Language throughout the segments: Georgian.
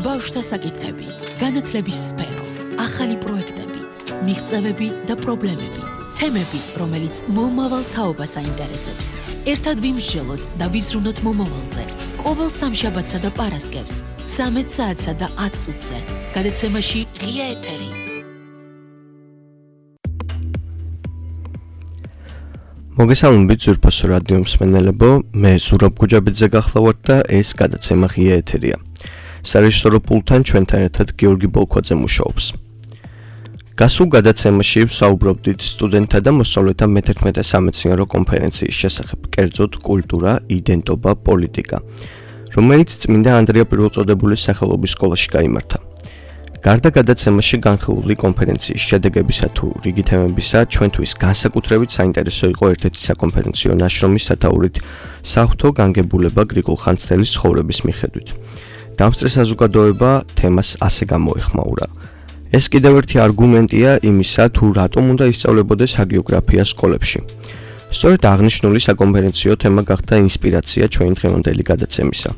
ბავშვთა საკითხები, განათლების სფერო, ახალი პროექტები, მიღწევები და პრობლემები, თემები, რომელიც მომავალ თაობას აინტერესებს. ერთად ვიმსჯელოთ და ვიზრუნოთ მომავალზე. ყოველ სამშაბათსა და პარასკევს, 13 საათსა და 10 წუთზე. გადაცემაში ღია ეთერი. მოგესალმებით ძვირფასო რადიო მსმენელებო, მე ზურაბ გუჯაბიძე გახლავართ და ეს გადაცემა ღია ეთერია. სარეჟისორო პულტთან ჩვენთან ერთად გიორგი ბოლქვაძე მუშაობს. გასულ გადაცემაში ვსაუბრობდით სტუდენტთა და მოსწავლეთა მე-11 სამეცნიერო კონფერენციის შესახებ, კერძოდ კულტურა, იდენტობა, პოლიტიკა, რომელიც წმინდა ანდრია პირველწოდებულის სახელობის სკოლაში გაიმართა. გარდა გადაცემაში განხილული კონფერენციის შედეგებისა თუ რიგი თემებისა, ჩვენთვის განსაკუთრებით საინტერესო იყო ერთ-ერთი საკონფერენციო ნაშრომის სათაურით საღვთო განგებულება გრიგოლ ხანძთელის ცხოვრების მიხედვით. დამსწრე საზოგადოება თემას ასე გამოეხმაურა. ეს კიდევ ერთი არგუმენტია იმისა, თუ რატომ უნდა ისწავლებოდეს ჰაგიოგრაფია სკოლებში. სწორედ აღნიშნული საკონფერენციო თემა გახდა ინსპირაცია ჩვენი დღევანდელი გადაცემისა.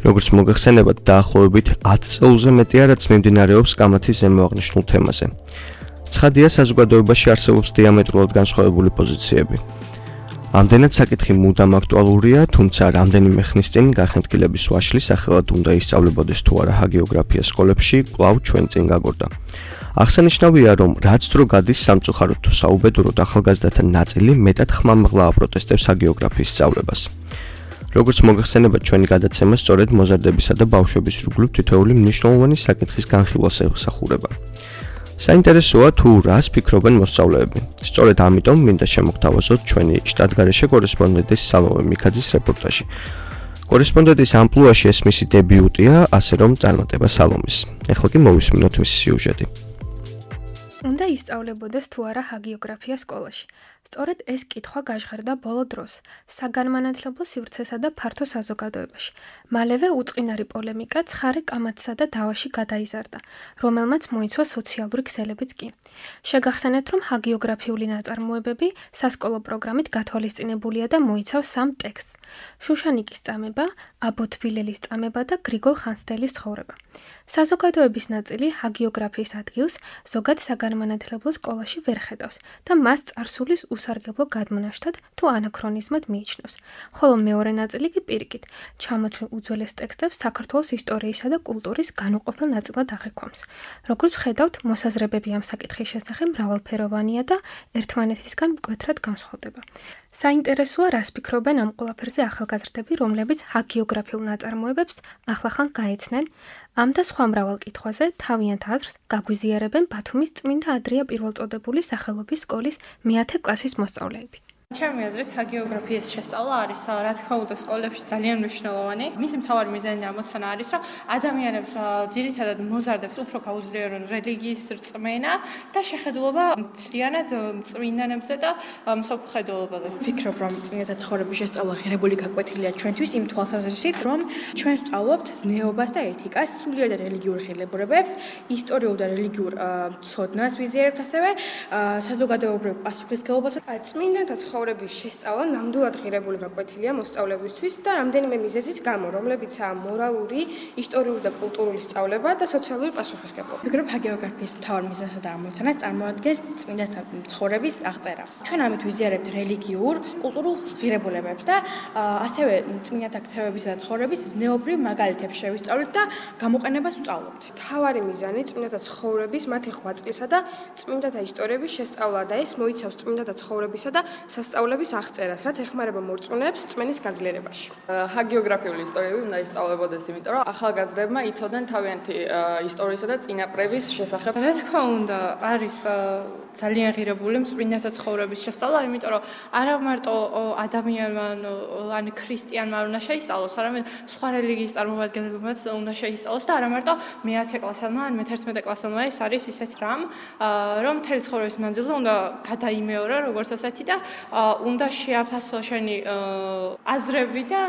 როგორც მოგეხსენებათ, დაახლოებით 10 წელზე მეტია, რაც მიმდინარეობს კამათის ზემო აღნიშნულ თემაზე. ცხადია, საზოგადოებაში არსებობს დიამეტრულად განსხვავებული პოზიციები. ამდენად საკითხი მუდამ აქტუალურია, თუმცა რამდენიმე ხნის წინ გახენთქილების ვაშლი სახელად უნდა ისწავლებოდეს თუ არა ჰაგიოგრაფია სკოლებში, კვლავ ჩვენ წინ გაგორდა. აღსანიშნავია, რომ რაც დრო გადის სამწუხაროდ თუ საუბედუროდ ახალგაზრდათა ნაწილი მეტად ხმამაღლა აპროტესტებს ჰაგიოგრაფიის სწავლებას. როგორც მოგეხსენებათ, ჩვენი გადაცემა სწორედ მოზარდებისა და ბავშვების რგოლით თითოეული მნიშვნელოვანი საკითხის განხილვას ეხსახურება. საინტერესოა თუ რას ფიქრობენ მოსწავლეები. სწორედ ამიტომ მინდა შემოგთავაზოთ ჩვენი შტატგარეშე კორესპონდენტის სალომე მიქაძის რეპორტაჟი. კორესპონდენტის ამპლუაში ეს მისი დებიუტია, ასე რომ წარმატება სალომეს. ეხლა კი მოვისმინოთ მისი სიუჟეტი. უნდა ისწავლებოდეს თუ არა ჰაგიოგრაფია სკოლაში. სწორედ ეს კითხვა გაჟღერდა ბოლო დროს საგანმანათლებლო სივრცესა და ფართო საზოგადოებაში. მალევე უწყინარი პოლემიკა ცხარე კამათსა და დავაში გადაიზარდა, რომელმაც მოიცვა სოციალური ქსელებიც კი. შეგახსენეთ, რომ ჰაგიოგრაფიული ნაწარმოებები სასკოლო პროგრამით გათვალისწინებულია და მოიცავს 3 ტექსტს: შუშანიკის წამება, აბოთბილელის წამება და გრიგოლ ხანძთელის ცხოვრება. საზოგადოების ნაწილი ჰაგიოგრაფიის ადგილს ზოგად საგანმანათლებლო სკოლაში ვერ ხედავს და მას წარსულის უსარგებლო გადმონაშთად თუ ანაქრონიზმად მიიჩნევს, ხოლო მეორე ნაწილი კი პირიქით ჩამოთვლილ უძველეს ტექსტებს საქართველოს ისტორიისა და კულტურის განუყოფელ ნაწილად აღიქვამს. როგორც ვხედავთ, მოსაზრებები ამ საკითხის შესახებ მრავალფეროვანია და ერთმანეთისგან მკვეთრად განსხვავდება. საინტერესოა, რას ფიქრობენ ამ ყველაფერზე ახალგაზრდები, რომლებიც ჰაგიოგრაფიულ ნაწარმოებებს ახლახან გაეცნენ. ამ და სხვა მრავალ კითხვაზე თავიანთ აზრს გაგვიზიარებენ ბათუმის წმინდა ანდრია პირველწოდებულის სახელობის სკოლის მე-10 კლასის მოსწავლეები. ჩემი აზრით, ჰაგიოგრაფიის შესწავლა არის, რა თქმა უნდა, სკოლებში ძალიან მნიშვნელოვანი. მისი მთავარი მიზანი ამოცანა არის, რომ ადამიანებს ძირითადად მოზარდებს უფრო გაუძლიერონ რელიგიის რწმენა და შეხედულობა მთლიანად წმინდანებზე და მსოფლმხედველობაზე. ვფიქრობ, რომ წმინდათა ცხოვრების შესწავლა ღირებული გაკვეთილია ჩვენთვის იმ თვალსაზრისით, რომ ჩვენ ვსწავლობთ ზნეობას და ეთიკას, სულიერ და რელიგიურ ღირებულებებს, ისტორიულ და რელიგიურ ცოდნას ვიზიარებთ, ასევე საზოგადოებრივ პასუხისმგებლობას. წმინდათა ცხოვრების შესწავლა ნამდვილად ღირებული გაკვეთილია მოსწავლეებისთვის და რამდენიმე მიზეზის გამო, რომლებიცაა მორალური, ისტორიული და კულტურული სწავლება და სოციალური პასუხისმგებლობა. ვფიქრობ, ჰაგიოგრაფიის მთავარ მიზეზსა და ამოცანას წარმოადგენს წმინდათა ცხოვრების აღწერა. ჩვენ ამით ვიზიარებთ რელიგიურ, კულტურულ ღირებულებებს და ასევე წმინდათა ქცევებისა და ცხოვრების ზნეობრივ მაგალითებს შევისწავლით და გამოყენებას ვსწავლობთ. მთავარი მიზანი წმინდათა ცხოვრების, მათი ღვაწლისა და წმინდათა ისტორიების შესწავლა და ეს მოიცავს წმინდათა ცხოვრებისა და სასწავლების აღწერას, რაც ეხმარება მორწმუნეებს წმენის გაძლიერებაში. ჰაგიოგრაფიული ისტორიები უნდა ისწავლებოდეს, იმიტომ რომ ახალგაზრდებმა იცოდნენ თავიანთი ისტორიისა და წინაპრების შესახებ. რა თქმა უნდა, არის ძალიან ღირებული წმინდათა ცხოვრების შესწავლა, იმიტომ რომ არა მარტო ადამიანმა ან ქრისტიანმა უნდა შეისწავლოს, არამედ სხვა რელიგიის წარმომადგენლებმაც უნდა შეისწავლოს და არა მარტო მე-10 კლასელმა ან მე-11 კლასელმა. ეს არის ისეთ რამ, რომ მთელი ცხოვრების მანძილზე უნდა გადაიმეორა როგორც ასეთი და უნდა შეაფასო შენი აზრები და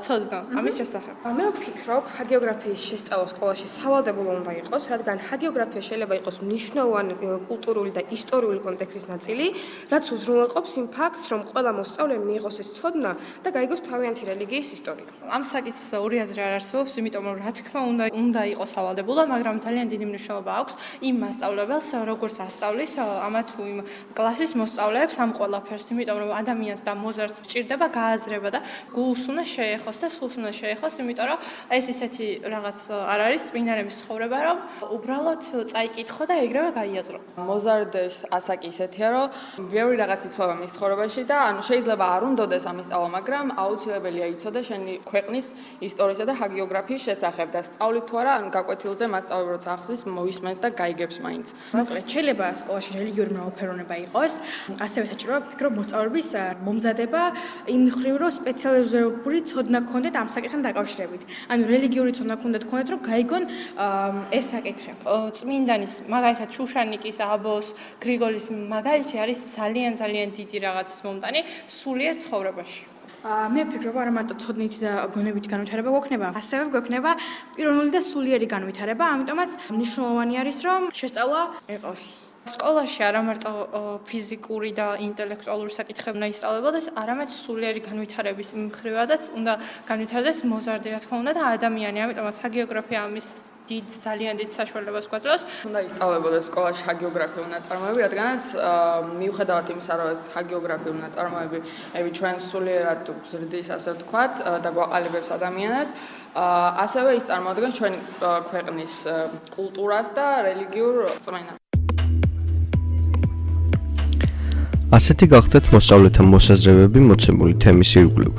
ცოდნა ამის შესახებ. მე ვფიქრობ, ჰაგიოგრაფიის შესწავლა სკოლაში სავალდებულო უნდა იყოს, რადგან ჰაგიოგრაფია შეიძლება იყოს მნიშვნელოვანი კულტურული და ისტორიული კონტექსტის ნაწილი, რაც უზრუნველყოფს იმ ფაქტს, რომ ყველა მოსწავლემ მიიღოს ეს ცოდნა და გაიგოს თავიანთი რელიგიის ისტორია. ამ საკითხზე ორი აზრი არ არსებობს, იმიტომ რომ რა თქმა უნდა იყოს სავალდებულო, მაგრამ ძალიან დიდი მნიშვნელობა აქვს იმ მასწავლებელს, როგორც ასწავლის ამა თუ იმ კლასის მოსწავლეებს ამ ყველაფერს, იმიტომ რომ ადამიანს და მოზარდს სჭირდება გააზრება და გულს უნდა შეეხოს და სულს უნდა შეეხოს, იმიტომ რომ ეს ისეთი რაღაც არ არის წმინდანების ცხოვრება, რომ უბრალოდ წაიკითხო და ეგრევე გაიაზრო. მოზარდეს ასაკი ისეთია, რომ ბევრი რაღაც იცვლება მის ცხოვრებაში და ანუ შეიძლება არ უნდოდეს ამის სწავლა, მაგრამ აუცილებელია იცოდე შენი ქვეყნის ისტორიისა და ჰაგიოგრაფიის შესახებ და სწავლი თუ არა, ანუ გაკვეთილზე მასწავლებელი როცა ახსნის, მოისმენს და გაიგებს მაინც. მოკლედ, შეიძლება სკოლაში რელიგიური მრავალფეროვნება იყოს, ასევე საჭიროა ვფიქრობ მოსწავლების მომზადება იმ მხრივ, რომ სპეციალიზებული ცოდნა გქონდეთ ამ საკითხთან დაკავშირებით. ანუ რელიგიური ცოდნა გქონდეთ, რომ გაიგონ ეს საკითხი. წმინდანის, მაგალითად შუშანიკის, აბოს, გრიგოლის მაგალითი არის ძალიან დიდი რაღაცის მომტანი სულიერ ცხოვრებაში. მე ვფიქრობ, არა მარტო ცოდნით და გონებით განვითარება გვექნება, ასევე გვექნება პიროვნული და სულიერი განვითარება, ამიტომაც მნიშვნელოვანი არის, რომ შესწავლა იყოს. სკოლაში არა მარტო ფიზიკური და ინტელექტუალური საკითხები უნდა ისწავლებოდეს, არამედ სულიერი განვითარების მხრივადაც უნდა განვითარდეს მოზარდი, რა თქმა უნდა, და ადამიანი, ამიტომაც ჰაგიოგრაფია ამის ძალიან დიდ საშუალებას გვაძლევს. უნდა ისწავლებოდეს სკოლაში ჰაგიოგრაფიული ნაწარმოები, რადგანაც მიუხედავად იმისა, რომ ეს ჰაგიოგრაფიული ნაწარმოები ჩვენ სულიერად გზრდის, ასე ვთქვათ, და გვაყალიბებს ადამიანად, ასევე ის წარმოადგენს ჩვენი ქვეყნის კულტურას და რელიგიურ რწმენას. ასეთი გახდათ მოსწავლეთა მოსაზრებები მოცემული თემის ირგვლივ.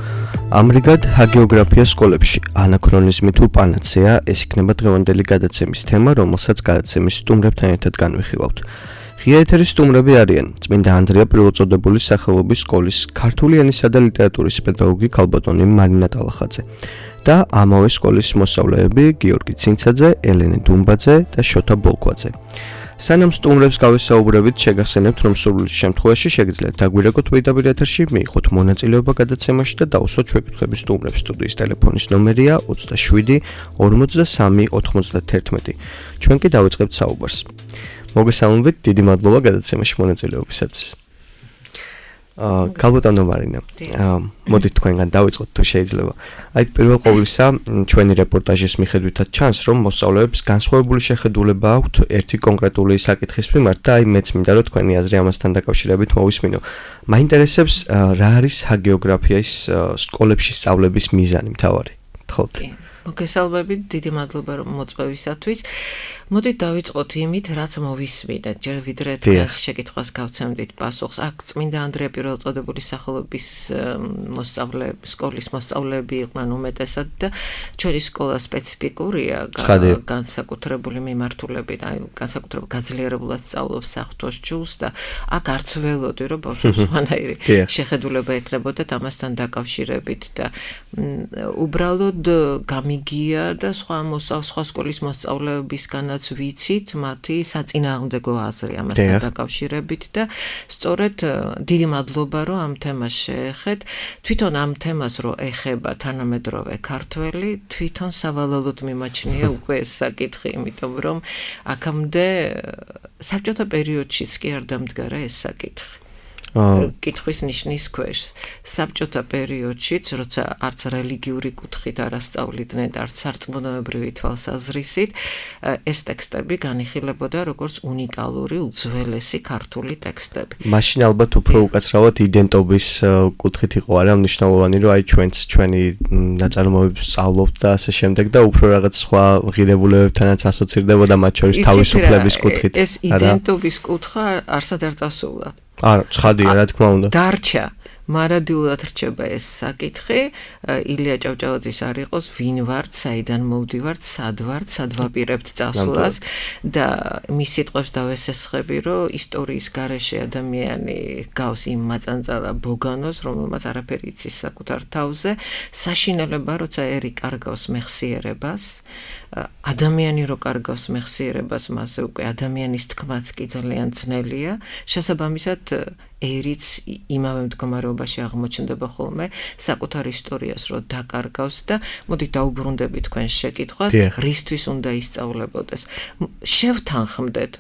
ამრიგად, ჰაგიოგრაფია სკოლებში ანაქრონიზმი თუ პანაცეა, ეს იქნება დღევანდელი გადაცემის თემა, რომელსაც გადაცემის სტუმრებთან ერთად განვიხილავთ. ღია ეთერის სტუმრები არიან წმინდა ანდრია პირველწოდებულის სახელობის სკოლის ქართული ენისა და ლიტერატურის პედაგოგი ქალბატონი მარინა ტალახაძე და ამავე სკოლის მოსწავლეები გიორგი ცინცაძე, ელენე დუმბაძე და შოთა ბოლქვაძე. სანამ სტუმრებს გავესაუბრებით, შეგახსენებთ, რომ სურვილის შემთხვევაში შეგიძლიათ დაგვირეკოთ პირდაპირ ეთერში, მიიღოთ მონაწილეობა გადაცემაში და დაუსვათ შეკითხვები სტუმრებს. სტუდიის ტელეფონის ნომერია 27 43 91. ჩვენ კი დავიწყებთ საუბარს. მოგესალმებით, დიდი მადლობა გადაცემაში მონაწილეობისათვის. ქალბატონო მარინა, მოდით თქვენგან დავიწყოთ თუ შეიძლება. აი პირველ ყოვლისა, ჩვენი რეპორტაჟის მიხედვითაც ჩანს, რომ მოსწავლეებს განსხვავებული შეხედულება აქვთ ერთი კონკრეტული საკითხის მიმართ და აი მეც მინდა რომ თქვენი აზრი ამასთან დაკავშირებით მოვისმინო. მაინტერესებს რა არის ჰაგიოგრაფიის სკოლებში სწავლების მიზანი მთავარი? თხოვთ. მოგესალმებით, დიდი მადლობა რომ მოწვევისათვის. მოდით დავიწყოთ იმით, რაც მოვისმინეთ, ჯერ ვიდრე თქვენს შეკითხვას გავცემდით პასუხს. აქ წმინდა ანდრია პირველწოდებულის სახელობის სკოლის მოსწავლეები იყვნენ უმეტესად და ჩვენი სკოლა სპეციფიკურია, განსაკუთრებული მიმართულებით, აი განსაკუთრებულ გაძლიერებულად სწავლობს საღვთოს ჯულს და აქ არც ველოდი რომ ბავშვებს სხვანაირი შეხედულება ექნებოდათ ამასთან დაკავშირებით და უბრალოდ გამიგია და სხვა სკოლის მოსწავლეებისგანაც ვიცით მათი საწინააღმდეგო აზრი ამასთან დაკავშირებით და სწორედ დიდი მადლობა რომ ამ თემას შეეხეთ. თვითონ ამ თემას რო ეხება თანამედროვე ქართველი, თვითონ სავალალოდ მიმაჩნია უკვე ეს საკითხი, იმიტომ რომ აქამდე საბჭოთა პერიოდშიც კი არ დამდგარა ეს საკითხი. კითხვის ნიშნის ქვეშ. საბჭოთა პერიოდშიც, როცა არც რელიგიური კუთხით არ ასწავლიდნენ და არც სარწმუნოებრივი თვალსაზრისით, ეს ტექსტები განიხილებოდა როგორც უნიკალური, უძველესი ქართული ტექსტები. მაშინ ალბათ უფრო უკაცრავად იდენტობის კუთხით იყო არა მნიშვნელოვანი, რომ აი ჩვენი ნაწარმოებებს სწავლობთ და ასე შემდეგ და უფრო რაღაც სხვა ღირებულებებთანაც ასოცირდებოდა მათ შორის თავისუფლების კუთხით. ეს იდენტობის კუთხა არსად არ წასულა. არა, ცხადია, რა თქმა უნდა. დარჩა. მარადიულად რჩება ეს საკითხი. ილია ჭავჭავაძის არ იყოს, ვინ ვართ, საიდან მოვდივართ, სად ვართ, სად ვაპირებთ წასვლას და მის სიტყვებს დავესესხები, რომ ისტორიის გარეშე ადამიანი გავს იმ მაწანწალა ბოგანოს, რომელმაც არაფერი იცის საკუთარ თავზე, საშინელება, როცა ერი კარგავს მეხსიერებას, ადამიანი რო კარგავს მეხსიერებას, მასზე უკვე ადამიანის თქმაც კი ძალიან ძნელია. შესაბამისად ერიც იმავე მდგომარეობაში აღმოჩნდება ხოლმე საკუთარ ისტორიას რო დაკარგავს და მოდი დაუბრუნდები თქვენს შეკითხვას რისთვის უნდა ისწავლებოდეს შევთანხმდეთ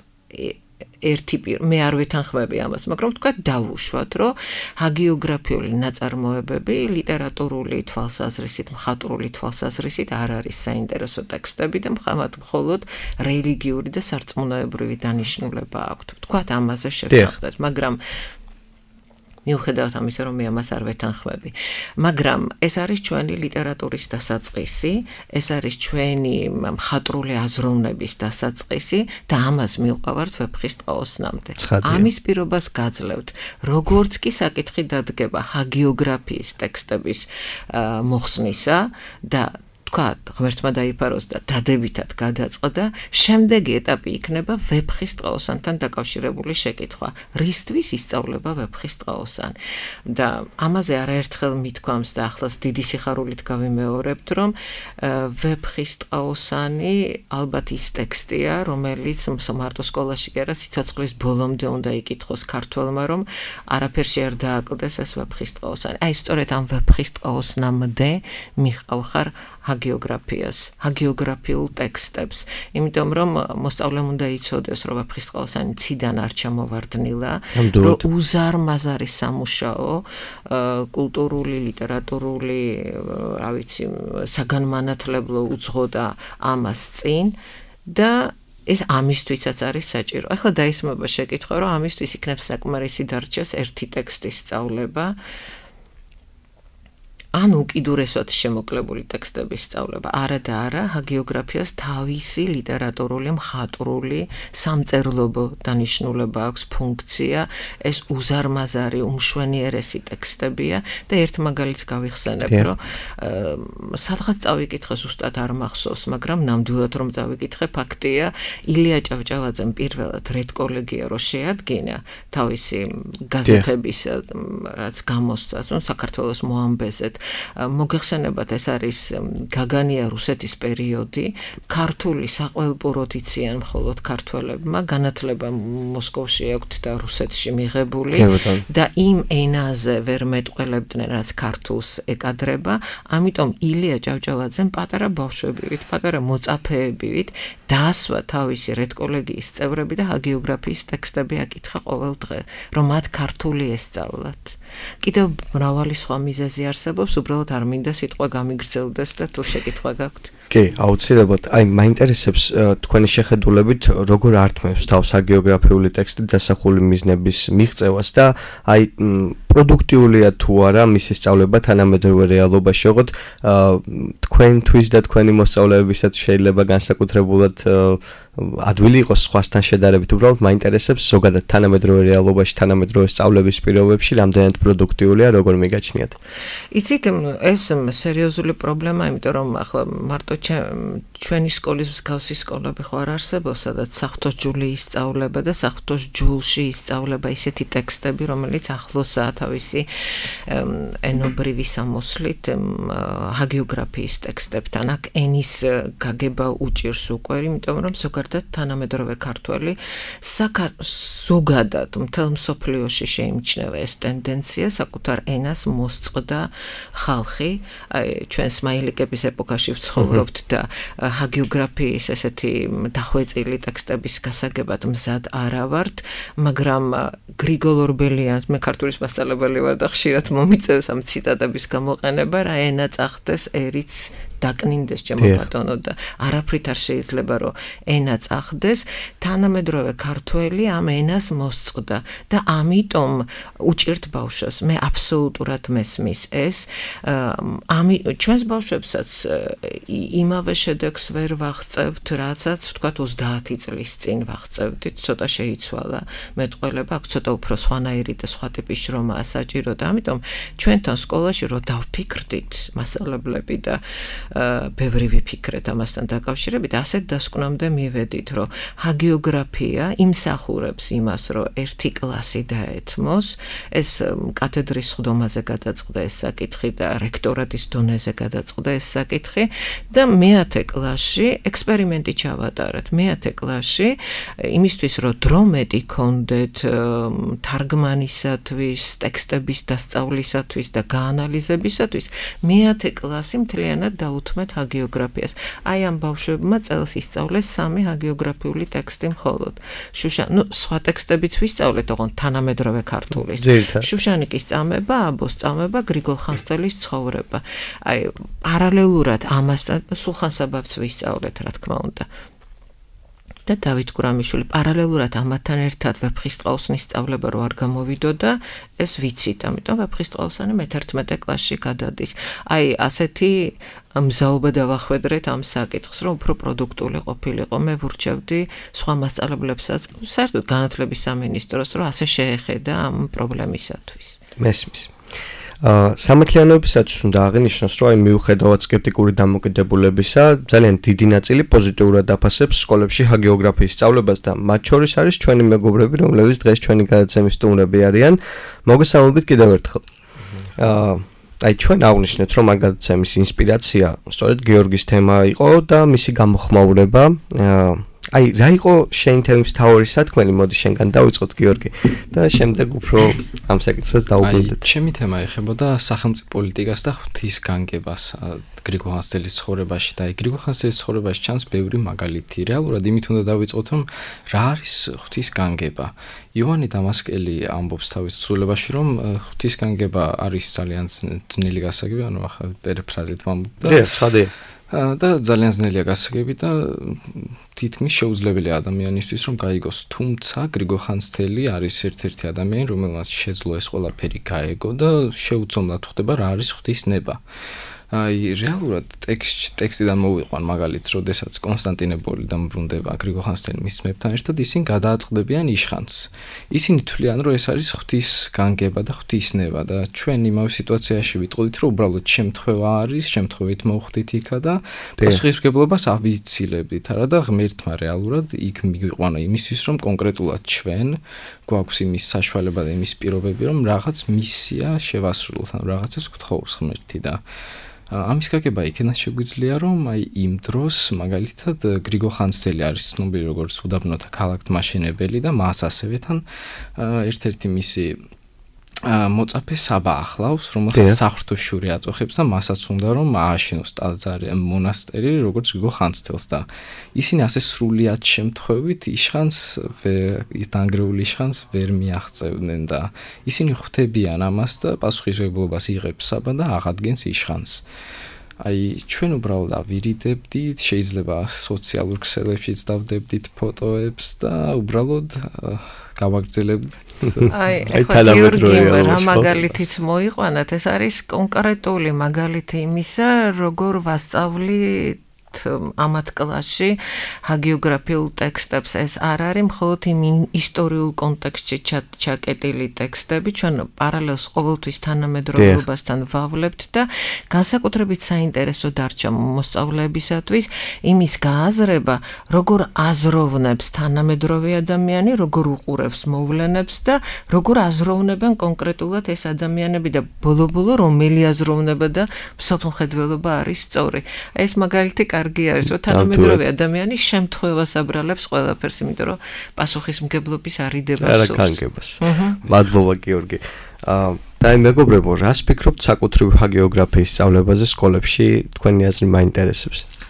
მე არ ვეთანხმები ამას, მაგრამ თქვა დავუშვათ, რომ ჰაგიოგრაფიული ნაწარმოებები ლიტერატურული თვალსაზრისით, მხატვრული თვალსაზრისით არ არის საინტერესო ტექსტები და მხოლოდ რელიგიური და სარწმუნოებრივი დანიშნულება აქვთ. თქვათ ამაზე შევთანხმდეთ, მაგრამ მიუხედავად ამისა, რომ მე ამას არ ვეთანხმები. მაგრამ ეს არის ჩვენი ლიტერატურის დასაწყისი, ეს არის ჩვენი მხატვრული აზროვნების დასაწყისი და ამას მივყავართ ვეფხისტყაოსნამდე. ამის პირობას გაძლევთ, როგორც კი საკითხი დადგება ჰაგიოგრაფიის ტექსტების მოხსნისა და ღმერთმა დაიფაროს და დადებითად გადაწყდა, შემდეგი ეტაპი იქნება ვეფხისტყაოსანთან დაკავშირებული შეკითხვა. რისთვის ისწავლება ვეფხისტყაოსანი? და ამაზე არაერთხელ მithქვამს და ახლაც დიდი სიხარულით გავიმეორებთ, რომ ვეფხისტყაოსანი ალბათ ის ტექსტია, რომელიც მარტო სკოლაში კი არა, სიცოცხლის ბოლომდე უნდა იკითხოს ქართველმა, რომ არაფერში არ დააკლდეს ეს ვეფხისტყაოსანი. აი, სწორედ ამ ვეფხისტყაოსნამდე მიყავხარ ჰაგიოგრაფიას, ჰაგიოგრაფიულ ტექსტებს, იმიტომ რომ მოსწავლემ უნდა იცოდეს, რომ ვეფხისტყაოსანი ციდან არ ჩამოვარდნილა, რომ უზარმაზარი სამუშაო, კულტურული, ლიტერატურული, რა ვიცი, საგანმანათლებლო უძღოდა ამას წინ და ეს ამისთვისაც არის საჭირო. ახლა დაისმება შეკითხვა, რომ ამისთვის იქნებს საკმარისი დარჩეს ერთი ტექსტის სწავლება. ან უკიდურესად შემოკლებული ტექსტების სწავლება. არა და არა, ჰაგიოგრაფიას თავისი ლიტერატურული, მხატვრული, სამწერლობო დანიშნულება აქვს, ფუნქცია, ეს უზარმაზარი, უმშვენიერესი ტექსტებია და ერთ მაგალითს გავიხსენებ, რომ სადღაც წავიკითხე, ზუსტად არ მახსოვს, მაგრამ ნამდვილად რომ წავიკითხე, ფაქტია, ილია ჭავჭავაძემ პირველად რედკოლეგია რო შეადგინა თავისი გაზეთების რაც გამოსცა, საქართველოს მოამბეზეთ მოგეხსენებათ ეს არის გაგანია რუსეთის პერიოდი ქართული საყველპუროდ იციან მხოლოდ ქართველებმა განათლება მოსკოვში აქვთ და რუსეთში მიღებული და იმ ენაზე ვერ მეტყველებდნენ რაც ქართულს ეკადრება ამიტომ ილია ჭავჭავაძემ პატარა ბავშვებივით პატარა მოწაფეებივით დაასვა თავისი რედკოლეგიის წევრები და ჰაგიოგრაფიის ტექსტები აკითხა ყოველ დღე რომ მათ ქართული ესწავლათ კიდევ მრავალი სხვა მიზეზი არსებობს უბრალოდ არ მინდა სიტყვა გამიგრძელდეს და თუ შეკითხვა გაქვთ კი აუცილებლად აი მაინტერესებს თქვენი შეხედულებით როგორ ართმევს თავს ჰაგიოგრაფიული ტექსტი დასახული მიზნების მიღწევას და აი პროდუქტიულია თუ არა მისი სწავლება თანამედროვე რეალობაში ოღონდ თქვენთვის და თქვენი მოსწავლეებისაც შეიძლება განსაკუთრებულად ადვილი იყოს სხვასთან შედარებით უბრალოდ მაინტერესებს ზოგადად თანამედროვე რეალობაში თანამედროვე სწავლების პირობებში რამდენად პროდუქტიულია როგორ მიგაჩნიათ იცით ეს სერიოზული პრობლემაა იმიტომ რომ ახლა მარტო ჩვენი სკოლის მსგავსი სკოლები ხო არ არსებობს სადაც საღვთოს ჯული ისწავლება და საღვთოს ჯულში ისწავლება ისეთი ტექსტები რომელიც ახლოსაა თავისი ენობრივი სამოსლით ჰაგიოგრაფიის ტექსტებთან აქ ენის გაგება უჭირს უკვე იმიტომ რომ ზოგადად თანამედროვე ქართველი ზოგადად მთელ მსოფლიოში შეიმჩნევა ეს ტენდენცია საკუთარ ენას მოსწყდა ხალხი ჩვენ სმაილიკების ეპოქაში ვცხოვრობთ და ჰაგიოგრაფიის ესეთი დახვეწილი ტექსტების გასაგებად მზად არა ვართ მაგრამ გრიგოლ ორბელიანს მე ქართულის მასწავლებელი ვარ და ხშირად მომიწევს ამ ციტატების გამოყენება რა ენა წახდეს ერიც დაკნინდეს ჩემო ბატონო და არაფრით არ შეიძლება რომ ენა წახდეს თანამედროვე ქართველი ამ ენას მოსწყდა და ამიტომ უჭირთ ბავშვებს მე აბსოლუტურად მესმის ეს ჩვენს ბავშვებსაც იმავე შედეგს ვერ ვაღწევთ რაცაც ვთქვათ 30 წლის წინ ვაღწევდით ცოტა შეიცვალა მეტყველება აქ ცოტა უფრო სხვანაირი და სხვა ტიპის შრომაა საჭირო და ამიტომ ჩვენთან სკოლაში რომ დავფიქრდით მასწავლებლები და ბევრი ვიფიქრეთ ამასთან დაკავშირებით, ასეთ დასკვნამდე მივედით, რომ ჰაგიოგრაფია იმსახურებს იმას, რომ ერთი კლასი დაეთმოს, ეს კათედრის სხდომაზე გადაწყდა ეს საკითხი და რექტორატის დონეზე გადაწყდა ეს საკითხი და მე-10 კლასში ექსპერიმენტი ჩავატარეთ. მე-10 კლასში იმისთვის, რომ დრო მეტი გქონდეთ თარგმანისათვის, ტექსტების დასწავლისათვის და გაანალიზებისათვის, მე-10 კლასი მთლიანად დაუთმეთ ჰაგიოგრაფიას. აი ამ ბავშვებმა წელს ისწავლეს 3 ჰაგიოგრაფიული ტექსტი მხოლოდ. სხვა ტექსტებიც ვისწავლეთ, ოღონდ თანამედროვე ქართულის. შუშანიკის წამება, აბოს წამება, გრიგოლ ხანძთელის ცხოვრება. აი პარალელურად ამასთან სულხან-საბაბს ვისწავლეთ, რა თქმა უნდა. და დავით გურამიშვილი პარალელურად ამათთან ერთად ვეფხისტყაოსნის სწავლება რო არ გამოვიდოდა, ეს ვიცით, ამიტომ ვეფხისტყაოსანი მე-11 კლასში გადადის. აი ასეთი მზაობა დავახვედრეთ ამ საკითხს, რომ უფრო პროდუქტული ყოფილიყო. მე ვურჩევდი სხვა მასწავლებლებსაც, საერთოდ განათლების სამინისტროს, რომ ასე შეეხედა ამ პრობლემისათვის. მესმის. სამართლიანობისათვის უნდა აღინიშნოს, რომ მიუხედავად სკეპტიკური დამოკიდებულებისა, ძალიან დიდი ნაწილი პოზიტიურად აფასებს სკოლებში ჰაგიოგრაფიის სწავლებას და მათ შორის არის ჩვენი მეგობრები, რომლებიც დღეს ჩვენი გადაცემის სტუმრები არიან. მოგესალმებით კიდევ ერთხელ. აი ჩვენ აღნიშნეთ, რომ ამ გადაცემის ინსპირაცია სწორედ გიორგის თემა იყო და მისი გამოხმაურება. აი რა იყო შენი თემის მთავარი სათქმელი, მოდი შენგან დავიწყოთ გიორგი და შემდეგ უფრო ამ საკითხს დავუბრუნდეთ. აი ჩემი თემა ეხებოდა სახელმწიფო პოლიტიკას და ღვთისგანგებას გრიგოლ ხანძთელის ცხოვრებაში და აი გრიგოლ ხანძთელის ცხოვრებაში ჩანს ბევრი მაგალითი. რეალურად იმით უნდა დავიწყოთ, რომ რა არის ღვთისგანგება. იოანე დამასკელი ამბობს თავის თხზულებაში, რომ ღვთისგანგება არის ძალიან ძნელი გასაგები, ანუ ახლა პერიფრაზით ვამბობ და ძალიან ძნელია გასაგები და თითქმის შეუძლებელია ადამიანისთვის რომ გაიგოს, თუმცა გრიგოლ ხანძთელი არის ერთ-ერთი ადამიანი, რომელმაც შეძლო ეს ყველაფერი გაეგო და შეუცდომლად ხვდება რა არის ღვთისნება. აი რეალურად ტექსტიდან მოვიყვან მაგალითს, როდესაც კონსტანტინოპოლიდან ბრუნდება გრიგოლ ხანძთელი მის მეფთან ერთად, ისინი გადააწყდებიან იშხანს. ისინი თვლიან, რომ ეს არის ღვთისგანგება და ღვთისნება და ჩვენ იმავე სიტუაციაში ვიტყოდით, რომ უბრალოდ შემთხვევა არის, შემთხვევით მოვხდით იქა და პასუხისმგებლობას ავიცილებდით, არა და ღმერთმა რეალურად იქ მიგვიყვანა იმისთვის, რომ კონკრეტულად ჩვენ გვაქვს იმის საშუალება და იმის პირობები, რომ რაღაც მისია შევასრულოთ, ანუ რაღაცას გთხოვს ღმერთი და ამის გაგება იქნას შეგვიძლია, რომ აი იმ დროს მაგალითად გრიგოლ ხანძთელი არის ცნობილი როგორც უდაბნოთა ქალაქთმაშენებელი და მას ასევე თან ერთ-ერთი მისი მოწაფე საბა ახლავს, რომელსაც საღვთო-შური აწუხებს და მასაც უნდა რომ ააშენოს ტაძარი, მონასტერი, როგორც გრიგოლ ხანძთელს და ისინი ასე სრულიად შემთხვევით იშხანს დანგრეული იშხანს ვერ მიაღწევდნენ და ისინი ხვდებიან ამას და პასუხისმგებლობას იღებს საბა და აღადგენს იშხანს. აი ჩვენ უბრალოდ ავირიდებდით, შეიძლება სოციალურ ქსელებშიც დავდებდით ფოტოებს და უბრალოდ გავაგრძელებთ. აი გიორგი რა მაგალითიც მოიყვანათ, ეს არის კონკრეტული მაგალითი იმისა, როგორ ვასწავლით ამათ კლასში ჰაგიოგრაფიულ ტექსტებს. ეს არ არის მხოლოდ იმ ისტორიულ კონტექსტში ჩაკეტილი ტექსტები, ჩვენ პარალელს ყოველთვის თანამედროვეობასთან ვავლებთ და განსაკუთრებით საინტერესო დარჩა მოსწავლეებისათვის იმის გააზრება, როგორ აზროვნებს თანამედროვე ადამიანი, როგორ უყურებს მოვლენებს და როგორ აზროვნებენ კონკრეტულად ეს ადამიანები და ბოლო-ბოლო რომელი აზროვნება და მსოფლმხედველობა არის სწორი. ეს მაგალითი კარგი არის, რომ თანამედროვე ადამიანი შემთხვევას აბრალებს ყველაფერს, იმიტომ რომ პასუხისმგებლობის არიდებას სურს. არაკანგებას. მადლობა გიორგი. და მეგობრებო, რას ფიქრობთ საკუთრივ ჰაგიოგრაფიის სწავლებაზე სკოლებში? თქვენი აზრი მაინტერესებს.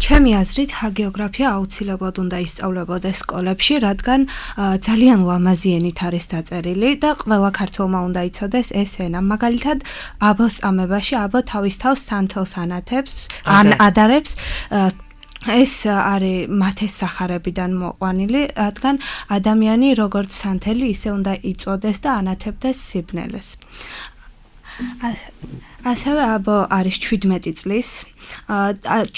ჩემი აზრით ჰაგიოგრაფია აუცილებლად უნდა ისწავლებოდეს სკოლებში, რადგან ძალიან ლამაზი ენით არის დაწერილი და ყველა ქართველმა უნდა იცოდეს ეს ენა. მაგალითად, აბოს წამებაში აბო თავის თავს სანთელს ადარებს. ეს არის მათეს სახარებიდან მოყვანილი, რადგან ადამიანი როგორც სანთელი ისე უნდა იწოდეს და ანათებდეს სიბნელეს. ასევე აბო არის 17 წლის.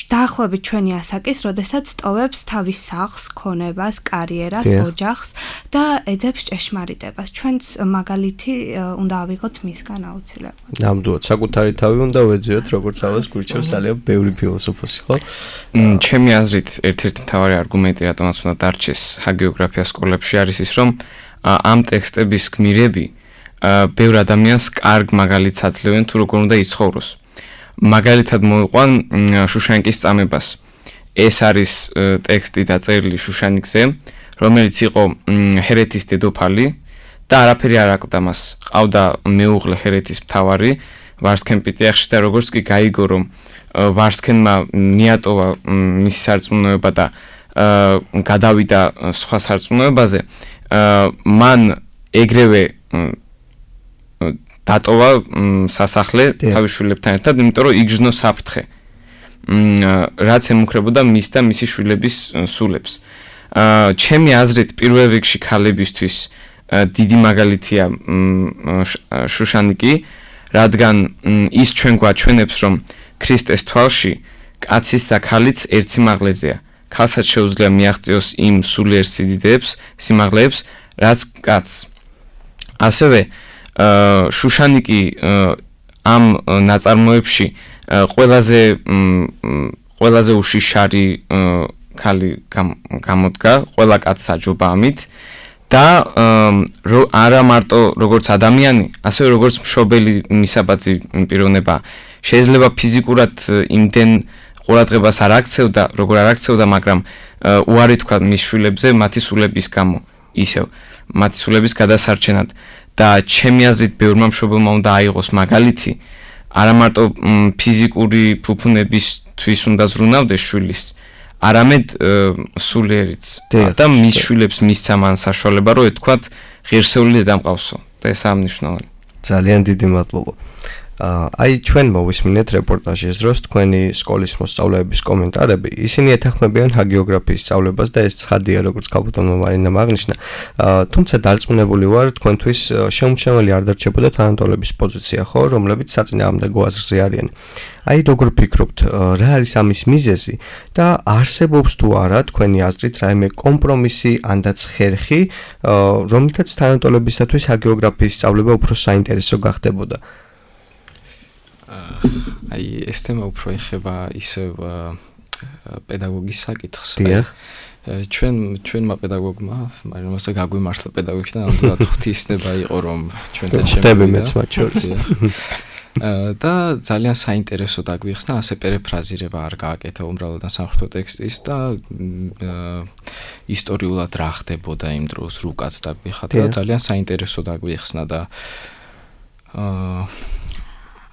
დაახლოებით ჩვენი ასაკის, როდესაც ტოვებს თავის სახლს, ქონებას, კარიერას, ოჯახს და ეძებს ჭეშმარიტებას. ჩვენც მაგალითი უნდა ავიღოთ მისგან აუცილებლად. ნამდვილად, საკუთარი თავი უნდა ვეძიოთ, როგორც ამას გვირჩევს ძალიან ბევრი ფილოსოფოსი, ხო? ჩემი აზრით, ერთ-ერთი მთავარი არგუმენტი, რატომაც უნდა დარჩეს ჰაგიოგრაფია სკოლებში არის ის, რომ ამ ტექსტების გმირები ბევრ ადამიანს კარგ მაგალითს აძლევენ თუ როგორ უნდა იცხოვროს. მაგალითად მოვიყვან შუშანიკის წამებას. ეს არის ტექსტი დაწერილი შუშანიკზე, რომელიც იყო ჰერეთის დედოფალი და არაფერი არ აკლდა მას. ყავდა მეუღლე ჰერეთის მთავარი, ვარსქენ პიტიახში და როგორც კი გაიგო, რომ ვარსქენმა მიატოვა მისი სარწმუნოება და გადავიდა სხვა სარწმუნოებაზე, მან ეგრევე დატოვა სასახლე თავის შვილებთან ერთად, იმიტომ რომ იგრძნო საფრთხე. რაც ემუქრებოდა მის და მისი შვილების სულებს. ჩემი აზრით, პირველ რიგში ქალებისთვის დიდი მაგალითია შუშანიკი, რადგან ის ჩვენ გვაჩვენებს, რომ ქრისტეს თვალში კაცის და ქალიც ერთ სიმაღლეზეა. ქალსაც შეუძლია მიაღწიოს იმ სულიერ სიმაღლეებს, რაც კაცს. ასევე შუშანიკი ამ ნაწარმოებში ყველაზე უშიშარი ქალი გამოდგა, ყველა კაცს აჯობა ამით და არა მარტო როგორც ადამიანი, ასევე როგორც მშობელი მისაბაძი პიროვნება. შეიძლება ფიზიკურად იმდენ ყურადღებას არ აქცევდა, როგორ არ აქცევდა, მაგრამ უარი თქვა მის შვილებზე მათი სულების გამო, ისევ მათი სულების გადასარჩენად. და ჩემი აზრით ბევრმა მშობელმა უნდა აიღოს მაგალითი, არა მარტო ფიზიკური ფუფუნებისთვის უნდა ზრუნავდეს შვილის, არამედ სულიერიც და მის შვილებს მისცა მან საშუალება, რომ ეთქვათ ღირსეული დედა მყავსო და ეს ამნიშნავენ. ძალიან დიდი მადლობა. აი ჩვენ მოვისმინეთ რეპორტაჟის დროს თქვენი სკოლის მოსწავლეების კომენტარები. ისინი ეთანხმებიან ჰაგიოგრაფიის სწავლებას და ეს ცხადია, როგორც კაპიტანმა მარინამ აღნიშნა. თუმცა დარწმუნებული ვარ, თქვენთვის შეუმჩნეველი არ დარჩებოდა თანატოლების პოზიცია, ხო, რომლებიც საწინააღმდეგო აზრზე არიან. აი როგორ ფიქრობთ, რა არის ამის მიზეზი და არსებობს თუ არა თქვენი აზრით რაიმე კომპრომისი ანდაც ხერხი, რომლითაც თანატოლებისათვის ჰაგიოგრაფიის სწავლება უფრო საინტერესო გახდებოდა? აი ეს თემა უფრო ეხება ისევ პედაგოგის საკითხს. ჩვენმა პედაგოგმა, მაგრამ მასე გაგვიმართლა პედაგოგში და ნამდვილად ღვთისნება იყო, რომ ჩვენთან შემოვიდა. და ძალიან საინტერესო დაგვიხსნა, ასე პერეფრაზირება არ გააკეთა უმრავლოდ სამხატვრო ტექსტის და ისტორიულად რა ხდებოდა იმ დროს რუკაც დაგვიხატა და ძალიან საინტერესო დაგვიხსნა და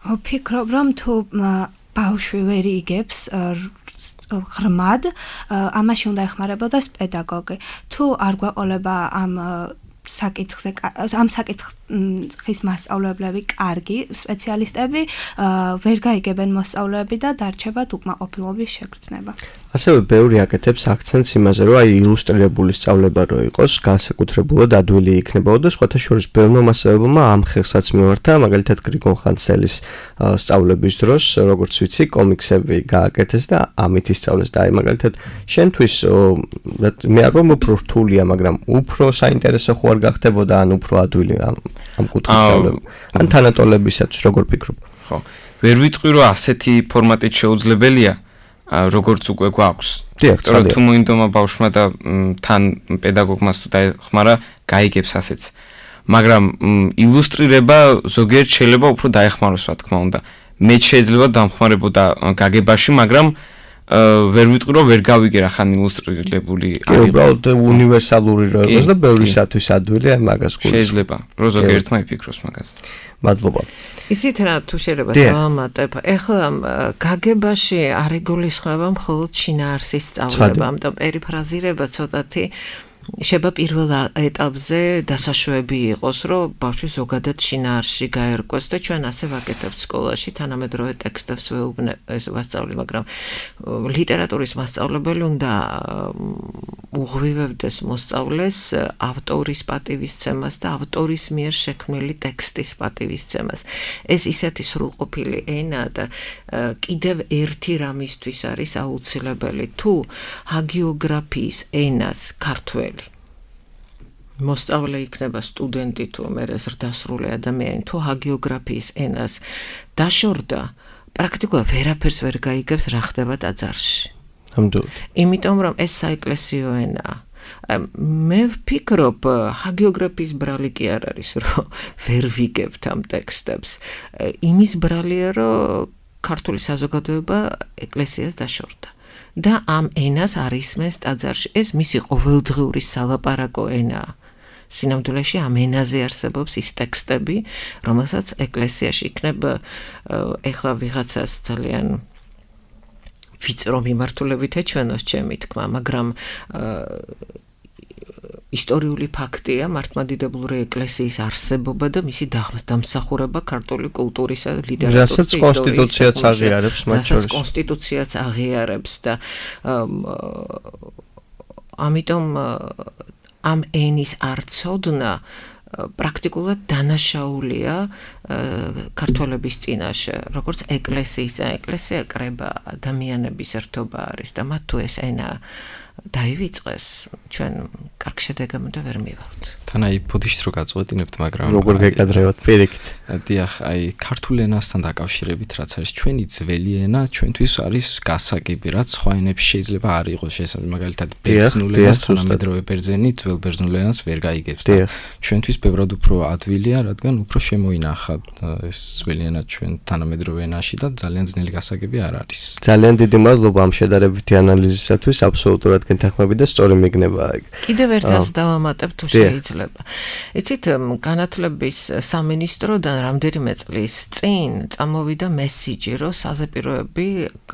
ვფიქრობ, რომ თუ ბავშვი ვერ იგებს ღრმად, ამაში უნდა ეხმარებოდეს პედაგოგი. თუ არ გვეყოლება ამ საკითხის მასწავლებლები კარგი სპეციალისტები, ვერ გაიგებენ მოსწავლეები და დარჩება უკმაყოფილობის შეგრძნება. ასევე ბევრი აკეთებს აქცენტს იმაზე, რომ აი ილუსტრირებული სწავლება რო იყოს, განსაკუთრებულად ადვილი იქნებოდა და სხვათა შორის ბევრმა მასწავლებელმა ამ ხერხსაც მიმართა, მაგალითად გრიგოლ ხანძთელის სწავლების დროს, როგორც ვიცი, კომიქსები გააკეთეს და ამით ისწავლეს და აი მაგალითად შენთვის მე არ ვამბობ რომ რთულია, მაგრამ უფრო საინტერესო ხო არ გახდებოდა ან უფრო ადვილი ამ კუთხის სწავლება. ან თანატოლებისათვის როგორ ფიქრობ? ხო. ვერ ვიტყვი რომ ასეთი ფორმატით შეუძლებელია. როგორც უკვე გვაქვს. დიახ, თუ მოინდომა ბავშვმა და თან პედაგოგმას თუ დაეხმარა, გაიგებს ასეც. მაგრამ ილუსტრირება ზოგიერთ შეიძლება უფრო დაეხმაროს, რა თქმა უნდა. მე შეიძლება დამხმარებოდა გაგებაში, მაგრამ ვერ ვიტყვი რომ ვერ გავიგე რა ხან ილუსტრირებული არის. უბრალოდ უნივერსალური რო იყოს და ბევრისათვის ადვილი, აი მაგას გულს. შეიძლება, რომ ზოგიერთმა იფიქროს მაგაზე. მადლობა. ისიც რა თუ შეიძლება დავამატებ. ეხლა გაგებაში არ იგულისხმება მხოლოდ შინაარსის სწავლება, ამიტომ პერიფრაზირება ცოტათი შეიძლება პირველ ეტაპზე დასაშვები იყოს, რომ ბავშვი ზოგადად შინაარსში გაერკვეს და ჩვენ ასე ვაკეთებთ სკოლაში, თანამედროვე ტექსტებს ვასწავლი, მაგრამ ლიტერატურის მასწავლებელი უნდა უღვივებდეს მოსწავლეს ავტორის პატივისცემას და ავტორის მიერ შექმნილი ტექსტის პატივისცემას. ეს ისეთი სრულყოფილი ენა და კიდევ ერთი რამისთვის არის აუცილებელი თუ ჰაგიოგრაფიის ენას ქართველი მოსწავლე იქნება სტუდენტი თუ მერე ზრდასრული ადამიანი თუ ჰაგიოგრაფიის ენას დაშორდა პრაქტიკულად ვერაფერს ვერ გაიგებს რა ხდება ტაძარში. იმიტომ რომ ეს საეკლესიო ენაა. მე ვფიქრობ ჰაგიოგრაფიის ბრალი კი არ არის რომ ვერ ვიგებთ ამ ტექსტებს. იმის ბრალია რომ ქართული საზოგადოება ეკლესიას დაშორდა. და ამ ენას არ ისმენს ტაძარში. ეს მისი ყოველდღიური სალაპარაკო ენაა. სინამდვილეში ამ ენაზე არსებობს ის ტექსტები, რომელსაც ეკლესიაში იქნება ეხლა ვიღაცას ძალიან ვიწრო მიმართულებით ეჩვენოს ჩემი თქმა, მაგრამ ისტორიული ფაქტია მართლმადიდებლური ეკლესიის არსებობა და მისი დამსახურება ქართული კულტურისა და ლიტერატურის რასაც კონსტიტუციაც აღიარებს მათ შორის. რასაც კონსტიტუციაც აღიარებს და ამიტომ ამ ენის არცოდნა პრაქტიკულად დანაშაულია ქართველების წინაშე, როგორც ეკლესიის, ეკლესია კრება ადამიანების ერთობა არის და მათ თუ ეს ენა დაივიწყეს, ჩვენ კარგ შედეგამდე ვერ მივალთ. თან აი ბოდიშს რო გაწყვეტინებთ, მაგრამ როგორ გეკადრევათ პირიქით. დიახ, აი ქართულ ენასთან დაკავშირებით რაც არის ჩვენი ძველი ენა, ჩვენთვის არის გასაგები, რაც სხვა ენებში შეიძლება არ იყოს შესაძლებელი, მაგალითად ბერძნულ ენას თანამედროვე ბერძენი ძველ ბერძნულ ენას ვერ გაიგებს და ჩვენთვის ბევრად უფრო ადვილია, რადგან უფრო შემოინახა ეს ძველი ენა ჩვენ თანამედროვე ენაში და ძალიან ძნელი გასაგები არ არის. ძალიან დიდი მადლობა ამ შედარებითი ანალიზისათვის, აბსოლუტურად გეთანხმები და სწორი მიგნება. კიდევ ერთას დავამატებ თუ შეიძლება. იცით, განათლების სამინისტროდან რამდენიმე წლის წინ წამოვიდა მესიჯი, რომ საზეპიროები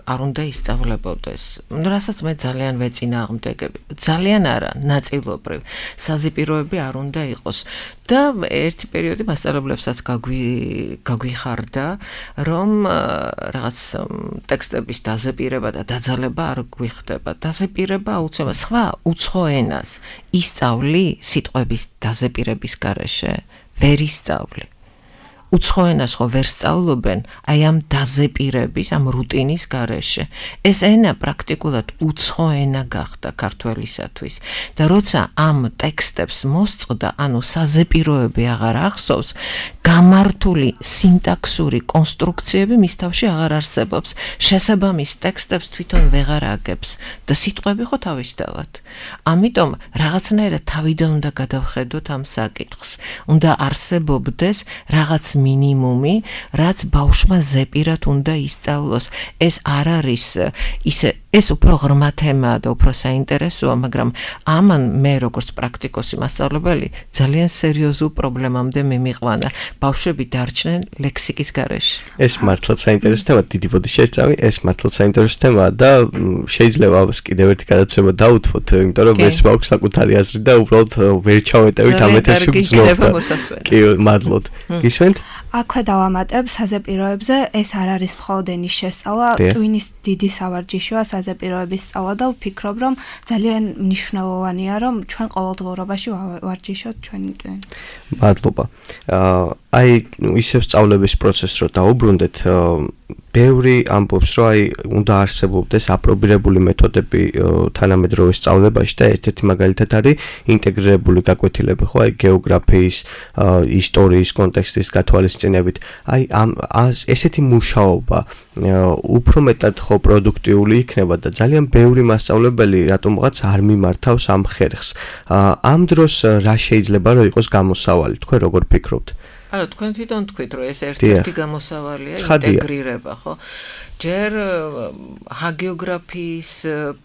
არ უნდა ისწავლებოდეს. რასაც მე ძალიან ვეწინააღმდეგები. ძალიან არა, ნაწილობრივ. საზეპიროები არ უნდა იყოს. და ერთი პერიოდი მასწავლებლებსაც გაგვიხარდა, რომ რაღაც ტექსტების დაზეპირება და დაძალება არ გვიხდება. დაზეპირება აუცილებლად სხვა უცხო ენას ისწავლი სიტყვების დაზეპირების გარეშე, ვერ ისწავლი. უცხო ენას ხო ვერ სწავლობენ აი ამ დაზეპირების, ამ რუტინის გარეშე. ეს ენა პრაქტიკულად უცხო ენა გახდა ქართველისათვის. და როცა ამ ტექსტებს მოსწყდა, ანუ საზეპიროები აღარ ახსოვს, გამართული სინტაქსური კონსტრუქციები მის თავში აღარ არსებობს. შესაბამის ტექსტებს თვითონ ვეღარ აგებს და სიტყვები ხო თავისთავად. ამიტომ რაღაცნაირად თავიდან უნდა გადავხედოთ ამ საკითხს. უნდა არსებობდეს რაღაც მინიმუმი, რაც ბავშვმა ზეპირად უნდა ისწავლოს. ეს არ არის ისე, ეს უფრო ღრმა თემაა და უფრო საინტერესოა, მაგრამ ამან მე როგორც პრაქტიკოსი მასწავლებელი ძალიან სერიოზულ პრობლემამდე მიმიყვანა. ბავშვები დარჩნენ ლექსიკის გარეშე. ეს მართლაც საინტერესო თემაა, დიდი ბოდიში წავი, ეს მართლაც საინტერესო თემაა და შეიძლება ამას კიდევ ერთი გადაცემა დავუთმოთ, იმიტომ რომ ეს მაქვს საკუთარი აზრი და უბრალოდ ვერ ჩავეტევით ამ ეთერში გძნობ. კი, მადლობთ. გისმენთ? აქვე დავამატებ საზეპიროებზე, ეს არ არის მხოლოდ ენის შესწავლა, ტვინის დიდი სავარჯიშოა საზეპიროების სწავლა და ვფიქრობ, რომ ძალიან მნიშვნელოვანია, რომ ჩვენ ყოველდღიურობაში ვარჯიშოთ ჩვენი ტვინი. მადლობა. აი ისევ სწავლების პროცესს რო დაუბრუნდეთ, ბევრი ამბობს, რომ აი უნდა არსებობდეს აპრობირებული მეთოდები თანამედროვე სწავლებაში და ერთ-ერთი მაგალითად არის ინტეგრირებული გაკვეთილები, ხო, აი გეოგრაფიის, ისტორიის კონტექსტის გათვალისწინებით. აი ესეთი მუშაობა უფრო მეტად ხო პროდუქტიული იქნება და ძალიან ბევრი მასწავლებელი რატომღაც არ მიმართავს ამ ხერხს. ამ დროს რა შეიძლება რომ იყოს გამოსავალი, თქვენ როგორ ფიქრობთ? არა, თქვენ თვითონ თქვით, რომ ეს ერთ-ერთი გამოსავალია ინტეგრირება, ხო? ჯერ ჰაგიოგრაფიის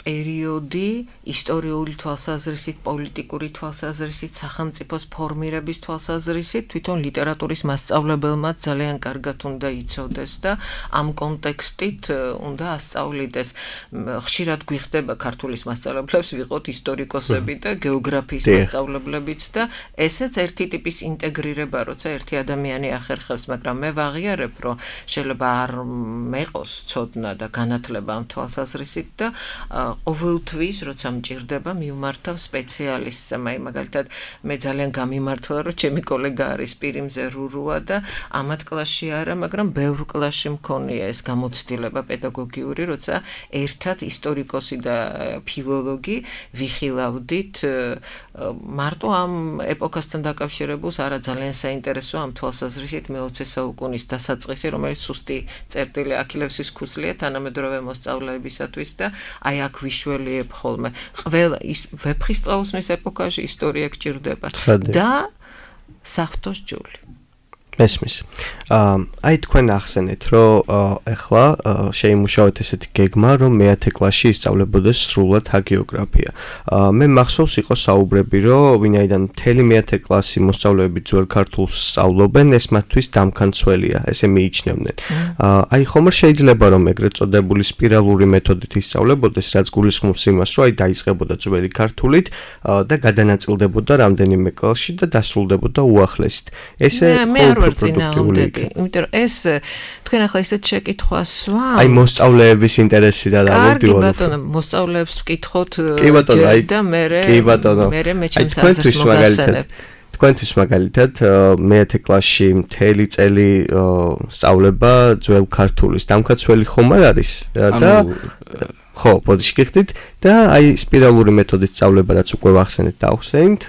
პერიოდი ისტორიული თვალსაზრისით, პოლიტიკური თვალსაზრისით, სახელმწიფოს ფორმირების თვალსაზრისით თვითონ ლიტერატურის მასწავლებელმა ძალიან კარგად უნდა იცოდეს და ამ კონტექსტით უნდა ასწავლიდეს. ხშირად გვიხდება ქართულის მასწავლებლებს ვიყოთ ისტორიკოსები და გეოგრაფიის მასწავლებლებიც და ესეც ერთი ტიპის ინტეგრირება, როცა ერთი ადამიანი ახერხებს, მაგრამ მე ვაღიარებ, რომ შეიძლება არ მეყოს ცოდნა და განათლება ამ თვალსაზრისით და ყოველთვის, როცა მჭირდება, მივმართავ სპეციალისტს. მაგალითად, მე ძალიან გამიმართლა, რომ ჩემი კოლეგა არის პირიმზე რურუა და ამათ კლასში არა, მაგრამ ბევრ კლასში მქონია ეს გამოცდილება პედაგოგიური, როცა ერთად ისტორიკოსი და ფილოლოგი ვიხილავდით მარტო ამ ეპოქასთან დაკავშირებულს არა ძალიან საინტერესო ამ თვალსაზრისით მე-20 საუკუნის დასაწყისი, რომელიც სუსტი წერტილი აქილევსის ქუსლია თანამედროვე მოსწავლეებისათვის და აი აქ ვიშველიებ ხოლმე. ყველა ვეფხისტყაოსნის ეპოქაში ისტორია გჭირდება და საფრთხოს ჯული. მესმის. აი თქვენ ახსენეთ, რომ ეხლა შეიმუშავეთ ესეთი გეგმა, რომ მე-10 კლასში ისწავლებოდეს სრულად ჰაგიოგრაფია. მე მახსოვს იყო საუბრები, რომ ვინაიდან მთელი მე-10 კლასი მოსწავლეები ძველ ქართულს სწავლობენ, ეს მათთვის დამქანცველია, ესე მიიჩნევდნენ. აი ხომ შეიძლება რომ ეგრეთ წოდებული სპირალური მეთოდით ისწავლებოდეს, რაც გულისხმობს იმას, რომ აი დაიწყებოდა ძველი ქართულით და გადანაწილდებოდა რამდენიმე კლასში და დასრულდებოდა უახლესით. ესე პროდუქტიული. იმიტომ რომ ეს თქვენ ახლა ისეთ შეკითხვას ვამ. აი მოსწავლეების ინტერესი და კარგი ბატონო, მოსწავლეებს ვკითხოთ და მე ჩემს აზრს მოგახსენებ. თქვენთვის მაგალითად მე-10 კლასში მთელი წელი სწავლება ძველ ქართულის დამქაცველი ხომ არ არის და ხო, ბოდიში გიხდით და აი სპირალური მეთოდით სწავლება რაც უკვე ვახსენეთ და ახსენით,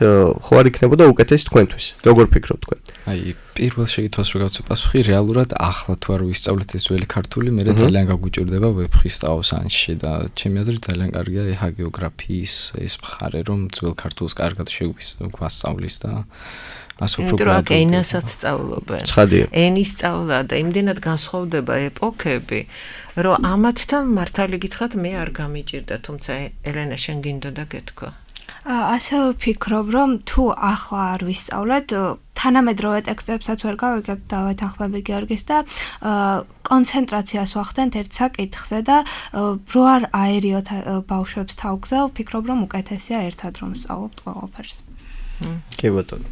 ხო არ იქნებოდა უკეთესი თქვენთვის. როგორ ფიქრობთ თქვენ? აი პირველ შეკითხვას რო გავცე პასუხი, რეალურად ახლა თუ არ ვისწავლეთ ეს ძველი ქართული, მე ძალიან გაგვიჭირდება ვეფხისტყაოსანში და ჩემი აზრით ძალიან კარგია ჰაგიოგრაფიის ეს მხარე, რომ ძველ ქართულს კარგად შეგვასწავლის და ასე უფრო პრაქტიკულად. ენასაც სწავლობენ. ენის სწავლა და იმდენად განსხვავდება ეპოქები, რომ ამათთან მართალი გითხრათ მე არ გამიჭირდა, თუმცა ელენა შენ გინდოდა გეთქვა. ასე ვფიქრობ, რომ თუ ახლა არ ვისწავლეთ, თანამედროვე ტექსტებსაც ვერ გავიგებთ და ვეთანხმები გიორგის და კონცენტრაციას ვახდენთ ერთ საკითხზე და რო არ აერიოთ ბავშვებს თავგზა, ვფიქრობ, რომ უკეთესია ერთად რომ სწავლობთ ყველაფერს. კი ბატონო.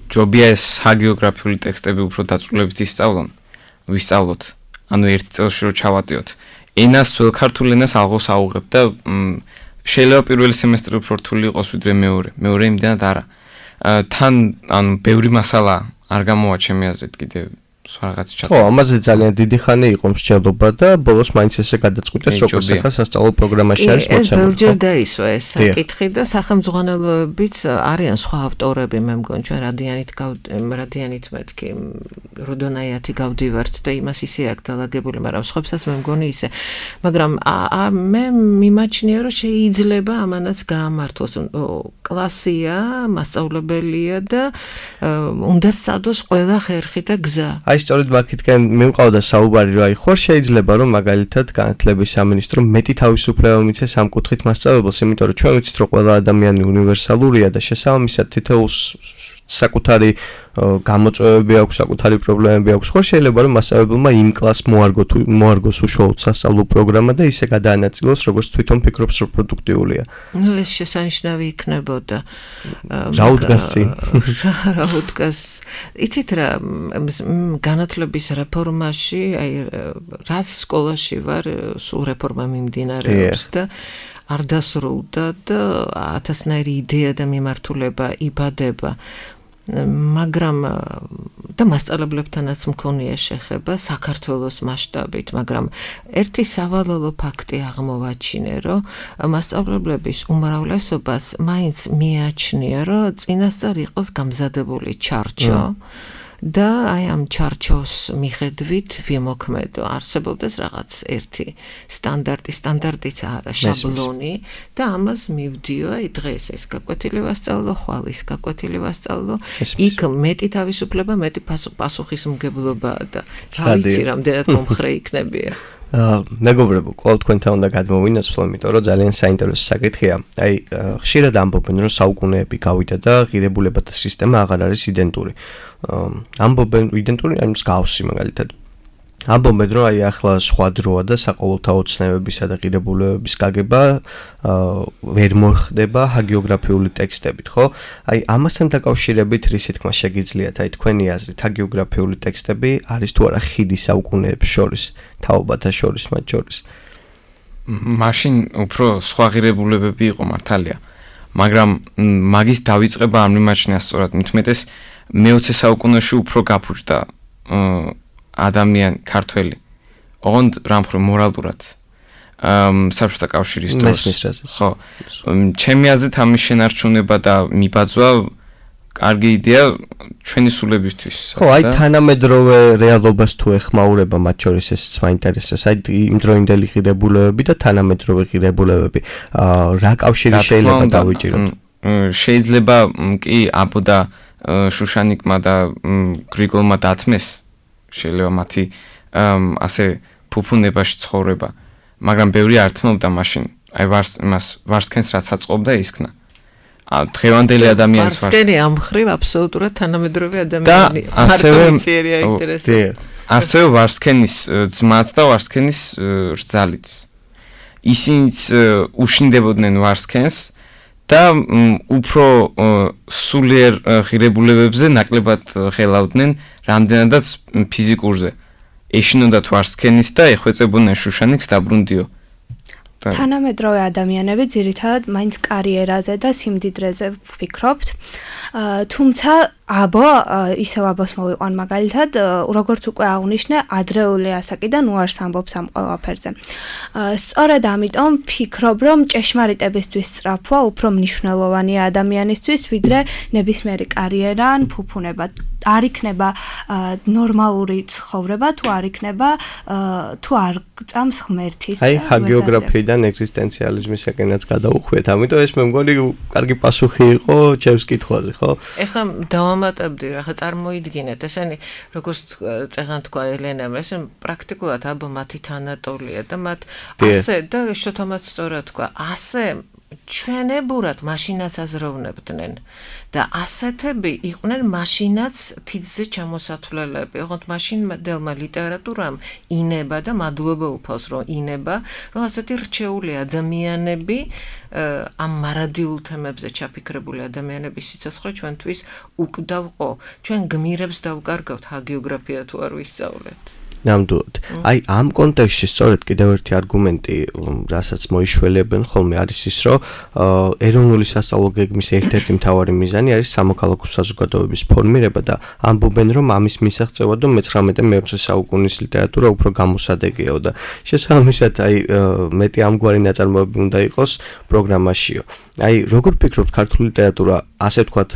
ჯობია ეს ჰაგიოგრაფიული ტექსტები უფრო დაწვრილებით ვისწავლოთ. ანუ ერთ წელში რო ჩავატიოთ. ენას ძველ ქართულ ენას აღოს აუღებ და შეიძლება პირველი სემესტრი უფრო რთული იყოს ვიდრე მეორე. მეორე იმდენად არა. თან ანუ ბევრი მასალა არ გამოვა ჩემი აზრით კიდე რაღაც ჩატარდა. ხო, ამაზე ძალიან დიდი ხანი იყო მსჯელობა და ბოლოს მაინც ესე გადაწყვიტეს, როგორც ახლა სასწავლო პროგრამაში არის მოცემული. ეს ბევრჯერ დაისვა ეს საკითხი და სახელმძღვანელოებიც არიან სხვა ავტორები, მე მგონი ჩვენ რადიანით მეთქი როდონაიათი გავდივართ და იმას ისე აქ დალაგებული, მაგრამ სხვებსაც მე მგონი ისე. მაგრამ მე მიმაჩნია, რომ შეიძლება ამანაც გაამართლოს. კლასია, მასწავლებელია და უნდა სწადოს ყველა ხერხი და გზა. აი სწორედ მაგითკენ მივყავდა საუბარი, რომ აი ხარ შეიძლება რომ მაგალითად განათლების სამინისტრო მეტი თავისუფლება მიცეს ამ კუთხით მასწავლებელს, იმიტომ რომ ჩვენ ვიცით რომ ყველა ადამიანი უნივერსალურია და შესაბამისად თითოეულს საკუთარი გამოწვევები აქვს, საკუთარი პრობლემები აქვს. ხო შეიძლება რომ მასწავლებელმა იმ კლასს მოარგოს უშუალოდ სასწავლო პროგრამა და ისე გადაანაწილოს, როგორც თვითონ ფიქრობს, რომ პროდუქტიულია. ნუ ეს შესანიშნავი იქნებოდა. რა უდგას წინ? რა უდგას? იცით რა, განათლების რეფორმაში, აი რაც სკოლაში ვარ, სულ რეფორმა მიმდინარეობს და არ დასრულდა და 1000-ნაირი იდეა და მიმართულება იბადება. მაგრამ და მასწავლებლებთანაც მქონია შეხება საქართველოს მასშტაბით, მაგრამ ერთი სავალალო ფაქტი აღმოვაჩინე, რომ მასწავლებლების უმრავლესობას მაინც მიაჩნია, რომ წინასწარ იყოს გამზადებული ჩარჩო და აი ამ ჩარჩოს მიხედვით ვიმოქმედო. არსებობდეს რაღაც ერთი სტანდარტიც არა, შაბლონი და ამას მივდიო, აი დღეს ეს გაკვეთილი ვასწავლო, ხვალ ის გაკვეთილი ვასწავლო. იქ მეტი თავისუფლება, მეტი პასუხისმგებლობაა და ვიცი რამდენად მომხრე იქნებია. მეგობრებო, ყოველ თქვენთან უნდა გადმოვინაცვლო, იმიტომ რომ ძალიან საინტერესო საკითხია. აი, ხშირად ამბობენ, რომ საუკუნეები გავიდა და ღირებულებათა სისტემა აღარ არის იდენტური. ამბობენ იდენტური, ანუ მსგავსი მაგალითად. ამბობენ რომ აი ახლა სხვა დროა და საყოველთაო ცნებებისა და ღირებულებების გაგება ვერ მოხდება ჰაგიოგრაფიული ტექსტებით, ხო? აი ამასთან დაკავშირებით რისი თქმა შეგიძლიათ აი თქვენი აზრით ჰაგიოგრაფიული ტექსტები არის თუ არა ხიდი საუკუნეებს შორის, თაობათა შორის მათ შორის? მაშინ უფრო სხვა ღირებულებები იყო მართალია, მაგრამ მაგის დავიწყება არ მიმაჩნია სწორად, მithumetes მე-20 საუკუნეში უფრო გაფუჭდა ადამიანი ქართველი. ოღონდ რამხრო მორალურად საბჭოთა კავშირის დროს. ხო. ჩემი აზრით ამის შენარჩუნება და მიბაძვა კარგი იდეა ჩვენი სულებისთვის. ხო, აი თანამედროვე რეალობას თუ ეხმაურება მათ შორის ესეც მაინტერესებს. აი იმდროინდელი ღირებულებები და თანამედროვე ღირებულებები. რა კავშირი შეიძლება დავიჭიროთ? შეიძლება კი აბოდა შუშანიკმა და გრიგოლმა დათმეს შეიძლება მათი ასე ფუფუნებაში ცხოვრება, მაგრამ ბევრი არ თმობდა მაშინ. აი ვარსკენს რაც აწყობდა ისქნა. დღევანდელი ადამიანის ვარსკენი ამ ხრივ აბსოლუტურად თანამედროვე ადამიანი. და ასევე ვარსკენის ძმაც და ვარსკენის რძალიც. ისინიც უშინდებოდნენ ვარსკენს და უფრო სულიერ ღირებულებებზე ნაკლებად ხელავდნენ რამდენადაც ფიზიკურზე. ეშინოდათ ვარსკენის და ეხვეწებოდნენ შუშანიკს დაბრუნდიო. თანამედროვე ადამიანები ძირითადად მაინც კარიერაზე და სიმდიდრეზე ვფიქრობთ. თუმცა აბო ისევ აბოს მოვიყვან მაგალითად, როგორც უკვე აღნიშნე, ადრეული ასაკიდან უარს ამბობს ამ ყველაფერზე. სწორედ ამიტომ ვფიქრობ, რომ ჭეშმარიტებისთვის სწრაფვა უფრო მნიშვნელოვანია ადამიანისთვის, ვიდრე ნებისმიერი კარიერა ან ფუფუნება. არ იქნება ნორმალური ცხოვრება, თუ არ იქნება თუ არ გწამს ღმერთის. აი ჰაგიოგრაფიიდან ეგზისტენციალიზმისაკენაც გადავუხვიეთ, ამიტომ ეს მე მგონი კარგი პასუხი იყო ჩემს კითხვაზე, ხო? ეხლა დავამატებდი, რა წარმოიდგინეთ, ესენი როგორც წეღან თქვა ელენამ, ეს პრაქტიკულად აბა მათი თანატოლია და მათ ასე და შოთომაც სწორად თქვა, ასე ჩვენებურად მაშინაც აზროვნებდნენ და ასეთები იყვნენ მაშინაც თითზე ჩამოსათვლელები. ოღონდ მაშინდელმა ლიტერატურამ ინება და მადლობა უფალს რომ ინება, რომ ასეთი რჩეული ადამიანები ამ მარადიულ თემებზე ჩაფიქრებული ადამიანების სიცოცხლე ჩვენთვის უკვდავყო. ჩვენ გმირებს დავკარგავთ ჰაგიოგრაფია თუ არ ვისწავლეთ. ნამდვილად. აი ამ კონტექსტში სწორედ კიდევ ერთი არგუმენტი, რასაც მოიშველებენ ხოლმე არის ის, რომ ეროვნული სასწავლო გეგმის ერთ-ერთი მთავარი მიზანი არის სამოქალაქო საზოგადოების ფორმირება და ამბობენ, რომ ამის მისაღწევად 19-20 საუკუნის ლიტერატურა უფრო გამოსადეგია და შესაბამისად აი მეტი ამგვარი ნაწარმოები უნდა იყოს პროგრამაშიო. აი როგორ ფიქრობთ, ქართული ლიტერატურა ასე ვთქვათ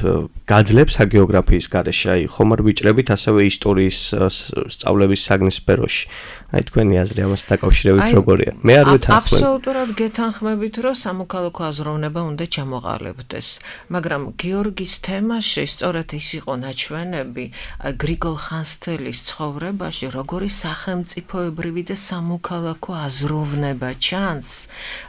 გაძლებს ჰაგიოგრაფიის გარეშე, აი ხომ არ ვიჭრებით ასევე ისტორიის სწავლების საგნის სფეროში. აი თქვენი აზრი ამას დაკავშირებით როგორია? მე არ ვეთანხმებ. აბსოლუტურად გეთანხმებით, რომ სამოქალაქო აზროვნება უნდა ჩამოყალიბდეს, მაგრამ გიორგის თემაში სწორედ ის იყო ნაჩვენები გრიგოლ ხანძთელის ცხოვრებაში, როგორი სახელმწიფოებრივი და სამოქალაქო აზროვნება ჩანს,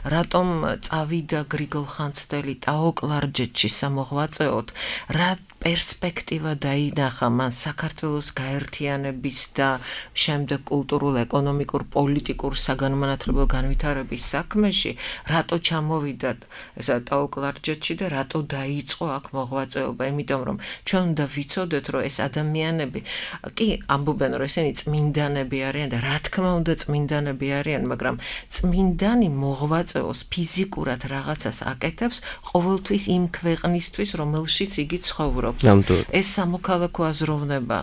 რატომ წავიდა გრიგოლ ხანძთელი ტაო-კლარჯეთში სამოღვაწეოდ, რა პერსპექტივა დაინახა მან საქართველოს გაერთიანების და შემდეგ კულტურულ, ეკონომიკურ, პოლიტიკურ, საგანმანათლებლო განვითარების საქმეში, რატო ჩამოვიდა ესა ტაო-კლარჯეთში და რატო დაიწყო აქ მოღვაწეობა, იმიტომ რომ ჩვენ უნდა ვიცოდეთ, რომ ეს ადამიანები კი ამბობენ, რომ ესენი წმინდანები არიან და რა თქმა უნდა წმინდანები არიან, მაგრამ წმინდანი მოღვაწეობს ფიზიკურად რაღაცას აკეთებს ყოველთვის იმ ქვეყნისთვის, რომელშიც იგი ცხოვრობს. ეს სამოქალაქო აზროვნება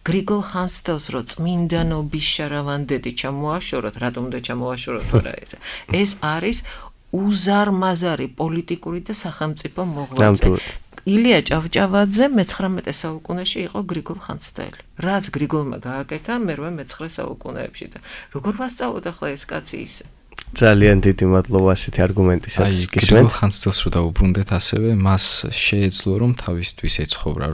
გრიგოლ ხანძთელს რო წმინდანობის შარავანდედი ჩამოაშოროთ, რატომ უნდა ჩამოაშოროთ რა ეს არის უზარმაზარი პოლიტიკური და სახელმწიფო მოღვაწე. ილია ჭავჭავაძე მე-19 საუკუნეში იყო გრიგოლ ხანძთელი. რაც გრიგოლმა გააკეთა მე-19 საუკუნეებში და როგორ ვასწავლოთ ახლა ეს კაცი ისე? ძალიან დიდი მადლობა ასეთი არგუმენტისათვის. გრიგოლ ხანძთელს რო დაუბრუნდეთ ასევე, მას შეეძლო რომ თავისთვის ეცხოვრა,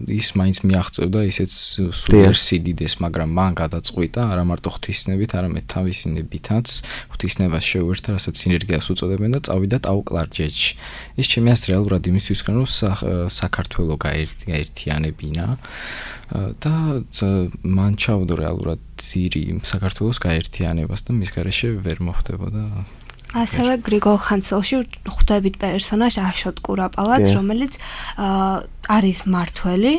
ის მაინც მიაღწევდა ისეთ სულიერ სიდიდეს, მაგრამ მან გადაწყვიტა არა მარტო ღვთისნებით, არამედ თავისი ნებითაც ღვთისნებას შეუერთდა, რასაც სინერგიას უწოდებენ და წავიდა ტაო-კლარჯეთში. ეს ჩემი აზრით რეალურად იმისთვის რომ საქართველო გაერთიანებინა და მან ჩაუდო რეალურად ძირი საქართველოს გაერთიანებას და მის გარეშე ვერ მოხდებოდა ასევე გრიგოლ ხანძელში ხვდებით პერსონაჟ აშოტ კურაპალაც, რომელიც არის მართველი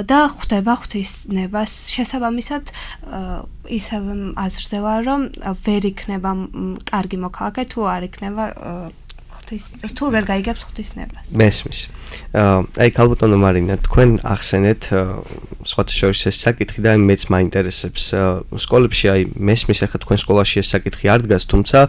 და ხვდება ღვთისნებას. შესაბამისად, ისევ აზრზე ვარ, რომ ვერ იქნება კარგი მოქალაქე თუ არ იქნება თუ ვერ გაიგებს ღვთისნებას. მესმის. აი ქალბატონო მარინა, თქვენ ახსენეთ სხვათა შორის ეს საკითხი და მეც მაინტერესებს. სკოლებში აი მესმის ახლა თქვენ სკოლაში ეს საკითხი არ დგას, თუმცა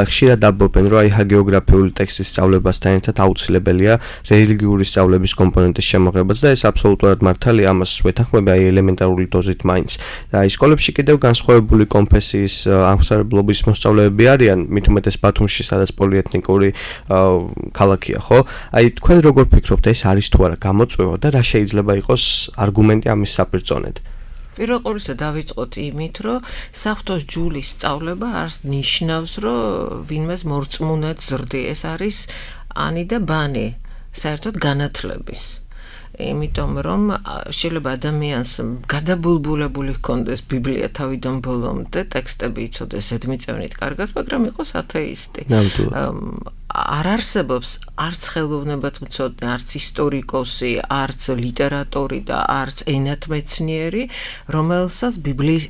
ხშირად ამბობენ, რომ აი ჰაგეოგრაფიული ტექსტის სწავლებასთან ერთად აუცილებელია რელიგიური სწავლების კომპონენტის შემოღებაც და ეს აბსოლუტურად მართალია, ამას ვეთანხმები აი ელემენტარული დოზით მაინც. და აი სკოლებში კიდევ განსხვავებული კონფესიის აღმსარებლობის მოსწავლეები არიან, მით უმეტეს ბათუმში, სადაც პოლიეთნიკური ქალაქია, ხო? აი თქვენ როგორ ფიქრობთ, ეს არის თუ არა გამოწვევა და რა შეიძლება იყოს არგუმენტი ამის საპირწონედ? პირველ ყოვლისა დავიწყოთ იმით, რომ საფრთხოს ჯულის სწავლება არ ნიშნავს, რომ ვინმეს მორწმუნედ ზრდი. ეს არის ანი და ბანი, საერთოდ განათლების. იმიტომ რომ შეიძლება ადამიანს გადაბულბულებული ჰქონდეს ბიბლია თავიდან ბოლომდე, ტექსტები იცოდეს ზედმიწევნით კარგად, მაგრამ იყოს ათეისტი. არ არსებობს არც ხელოვნებათმცოდნე, არც ისტორიკოსი, არც ლიტერატორი და არც ენათმეცნიერი, რომელსაც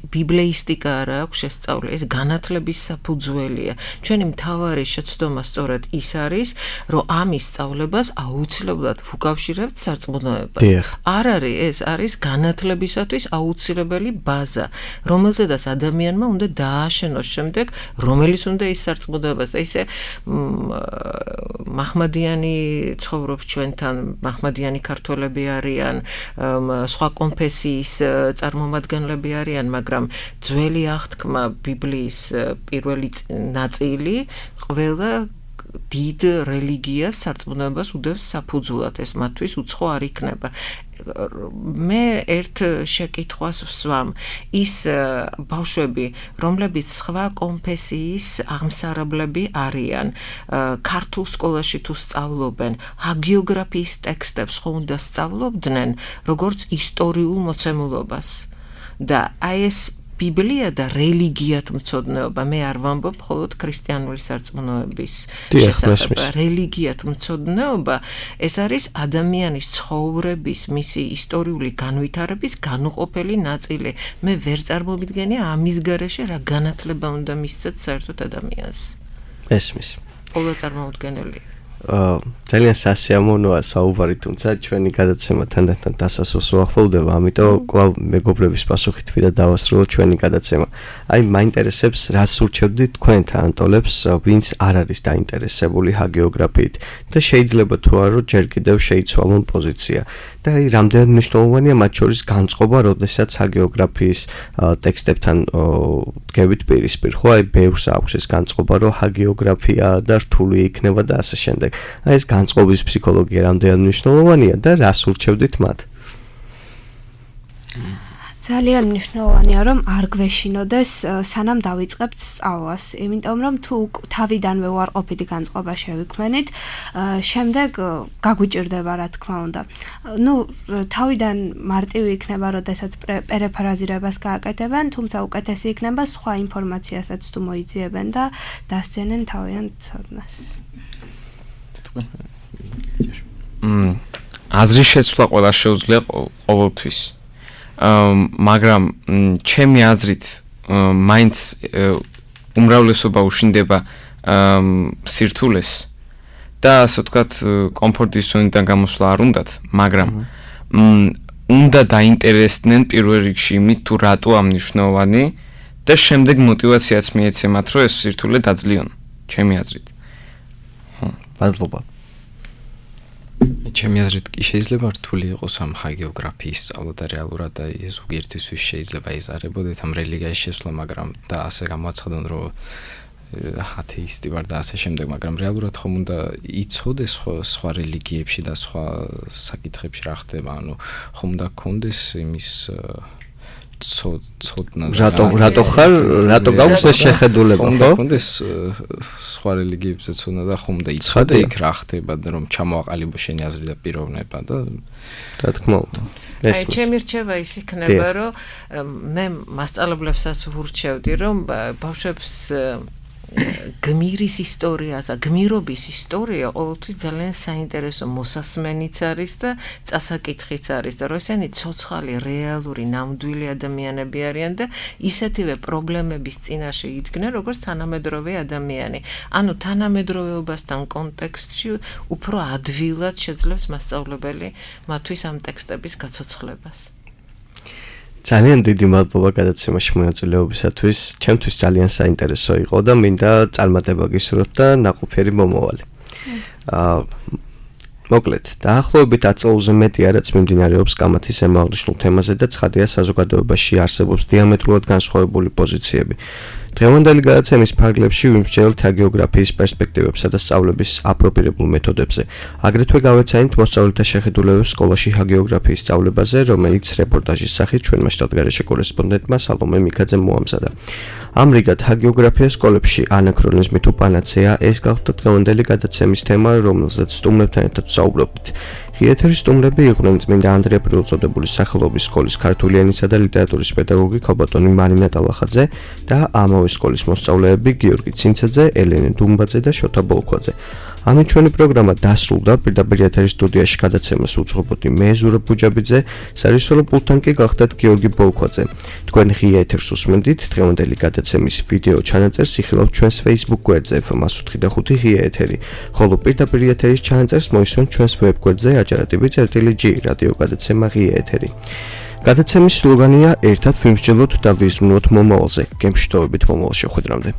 ბიბლიისტიკა არ აქვს შესწავლილი. ეს განათლების საფუძველია. ჩვენი მთავარი შეცდომა სწორედ ის არის, რომ ამის სწავლებას აუცილებლად ვუკავშირებთ სარწმუნოებას. არ არის, ეს არის განათლებისათვის აუცილებელი ბაზა, რომელზედაც ადამიანმა უნდა დააშენოს შემდეგ, რომელიც უნდა ის სარწმუნოებას. ისე მაჰმადიანი ცხოვრობს ჩვენთან, მაჰმადიანი ქართველები არიან, სხვა კონფესიის წარმომადგენლები არიან, მაგრამ ძველი აღთქმა ბიბლიის პირველი ნაწილი ყველა დიდ რელიგიას სარწმუნოებას უდევს საფუძვლად, ეს მათთვის უცხო არ იქნება. მე ერთ შეკითხვას ვსვამ, ის ბავშვები, რომლებიც სხვა კონფესიის აღმსარებლები არიან, ქართულ სკოლაში თუ სწავლობენ, ჰაგიოგრაფიის ტექსტებს ხო უნდა სწავლობდნენ, როგორც ისტორიულ მოცემულობას. და აი ეს ბიბლია და რელიგიათმცოდნეობა, მე არ ვამბობ მხოლოდ ქრისტიანული სარწმუნოების შესახებ. რელიგიათმცოდნეობა ეს არის ადამიანის ცხოვრების, მისი ისტორიული განვითარების განუყოფელი ნაწილი. მე ვერ წარმოვიდგენია ამის გარეშე რა განათლება უნდა მისცეთ საერთოდ ადამიანს. ესმის. ყოველ წარმოუდგენელი. ძალიან სასიამოვნოა საუბარი, თუმცა ჩვენი გადაცემა თანდათან დასასრულს უახლოვდება, ამიტომ კვლავ მეგობრების პასუხით ვიდა დავასრულოთ ჩვენი გადაცემა. აი მაინტერესებს, რას ურჩევდით თქვენთან ანტოლებს, ვინც არ არის დაინტერესებული ჰაგეოგრაფიით და შეიძლება თუ არა ჯერ კიდევ შეიცვალონ პოზიცია. და აი რამდენად მნიშვნელოვანია მათ შორის განწყობა, როდესაც ჰაგეოგრაფიის ტექსტებთან დგებით პირისპირ, ხო? აი ბევრს აქვს ეს განწყობა, რომ ჰაგეოგრაფია და რთული იქნება და ასე შემდეგ. აი ეს განწყობის ფსიქოლოგია რამდენად მნიშვნელოვანია და რას ურჩევდით მათ? ძალიან მნიშვნელოვანია, რომ არ გვეშინოდეს სანამ დავიწყებთ სწავლას, იმიტომ რომ თუ თავიდანვე უარყოფითი განწყობა შევიქმნით, შემდეგ გაგვიჭირდება რა თქმა უნდა. თავიდან მარტივი იქნება, როდესაც პერეფრაზირებას გააკეთებენ, თუმცა უკეთესი იქნება სხვა ინფორმაციასაც თუ მოიძიებენ და დასცენენ თავიანთ ცოდნას. აზრის შეცვლა ყველა შეუძლია ყოველთვის. მაგრამ ჩემი აზრით მაინც უმრავლესობა უშინდება სირთულეს და ასე ვთქვათ კომფორტის ზონიდან გამოსვლა არ უნდათ, მაგრამ უნდა დაინტერესდნენ პირველ რიგში იმით, თუ რატო ამნიშნავანი და შემდეგ мотиваციაც მიეცემათ, რომ ეს სირთულე დაძლიონ, ჩემი აზრით. მადლობა. ჩემი აზრით კი შეიძლება რთული იყოს ამ ჰაგეოგრაფიის სწავლა და რეალურად ზოგიერთისთვის შეიძლება იზარებოდეთ ამ რელიგიის შესვლა, მაგრამ და ასე გამოაცხადონ, რომ ათეისტი ვარ და ასე შემდეგ, მაგრამ რეალურად ხომ უნდა იცოდეს სხვა რელიგიებში და სხვა საკითხებში რა ხდება, ანუ ხომ უნდა გქონდეს იმის ცოდნა რატო ხარ რატო გაქვს ეს შეხედულება ხო? კონდეს სხვა რელიგიებზე ცოდნა და ხომ და იცოდე იქ რა ხდება და რომ ჩამოაყალიბო შენი აზრი და პიროვნება და რა თქმა უნდა აი ჩემი რჩევა ის იქნება რომ მე მასწავლებლებსაც ვურჩევდი რომ ბავშვებს გმირის ისტორიას და გმირობის ისტორია ყოველთვის ძალიან საინტერესო მოსასმენიც არის და წასაკითხიც არის და რომ ესენი ცოცხალი რეალური ნამდვილი ადამიანები არიან და ისეთივე პრობლემების წინაშე იდგნენ როგორც თანამედროვე ადამიანი. ანუ თანამედროვეობასთან კონტექსტში უფრო ადვილად შეძლებს მასწავლებელი მათთვის ამ ტექსტების გაცოცხლებას. ძალიან დიდი მადლობა გადაცემაში მონაწილეობისათვის. ჩემთვის ძალიან საინტერესო იყო და მინდა წარმატება გისურვოთ და ნაყოფიერი მომავალი. მოკლედ, დაახლოებით 10 წელზე მეტი არაც მიმდინარეობს კამათის ემაღლიშნულ თემაზე და ცხადია საზოგადოებაში არსებობს დიამეტრულად განსხვავებული პოზიციები. დღევანდელი გადაცემის ფარგლებში ვიმსჯელოთ ჰაგიოგრაფიის პერსპექტივებსა და სწავლების აპროპირებულ მეთოდებზე. აგრეთვე გავეცანით მოსწავლეთა შეხედულებებს სკოლაში ჰაგიოგრაფიის სწავლებაზე, რომელიც რეპორტაჟის სახით ჩვენმა შტატგარეშე კორესპონდენტმა სალომე მიქაძემ მოამზადა. ამრიგად ჰაგიოგრაფია სკოლებში ანაქრონიზმი თუ პანაცეა ეს გახდა დღევანდელი გადაცემის თემა, რომელზეც სტუმრებთან ერთად ვსაუბრობთ. ღიეთერის სტუმრები იყვნენ წმინდა ანდრია პირველწოდებულის სახელობის სკოლის ქართული ენისა და ლიტერატურის პედაგოგი ქალბატონი მარინა ტალახაძე და ამავე სკოლის მოსწავლეები გიორგი ცინცაძე, ელენე დუმბაძე და შოთა ბოლქვაძე. ამით ჩვენი პროგრამა დასრულდა. პირდაპირ ეთერის სტუდიაში გადაცემას უძღვებოდი მე ზურაბ ბუჯაბიძე, სარეჟისორო პულტთან კი გახდათ გიორგი ბოლქვაძე. თქვენ ღია ეთერს უსმენდით. დღევანდელი გადაცემის ვიდეო ჩანაწერს იხილავთ ჩვენს Facebook გვერდზე FM105 ღია ეთერი, ხოლო პირდაპირ ეთერის ჩანაწერს მოისმენთ ჩვენს ვებ გვერდზე ajaratibi.g რადიო გადაცემა ღია ეთერი. გადაცემის სლოგანია ერთად ვიმსჯელოთ და ვიზრუნოთ მომავალზე. გემშვიდობებით მომავალ შეხვედრამდე.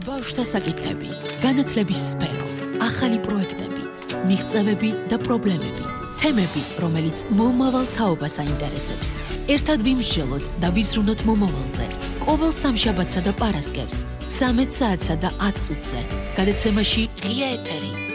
ბავშვთა საკითხები, განათლების სფერო, ახალი პროექტები, მიღწევები და პრობლემები, თემები, რომელიც მომავალ თაობას აინტერესებს. ერთად ვიმსჯელოთ და ვიზრუნოთ მომავალზე. ყოველ სამშაბათსა და პარასკევს 13 საათსა და 10 წუთზე. გადაცემაში ღია ეთერი.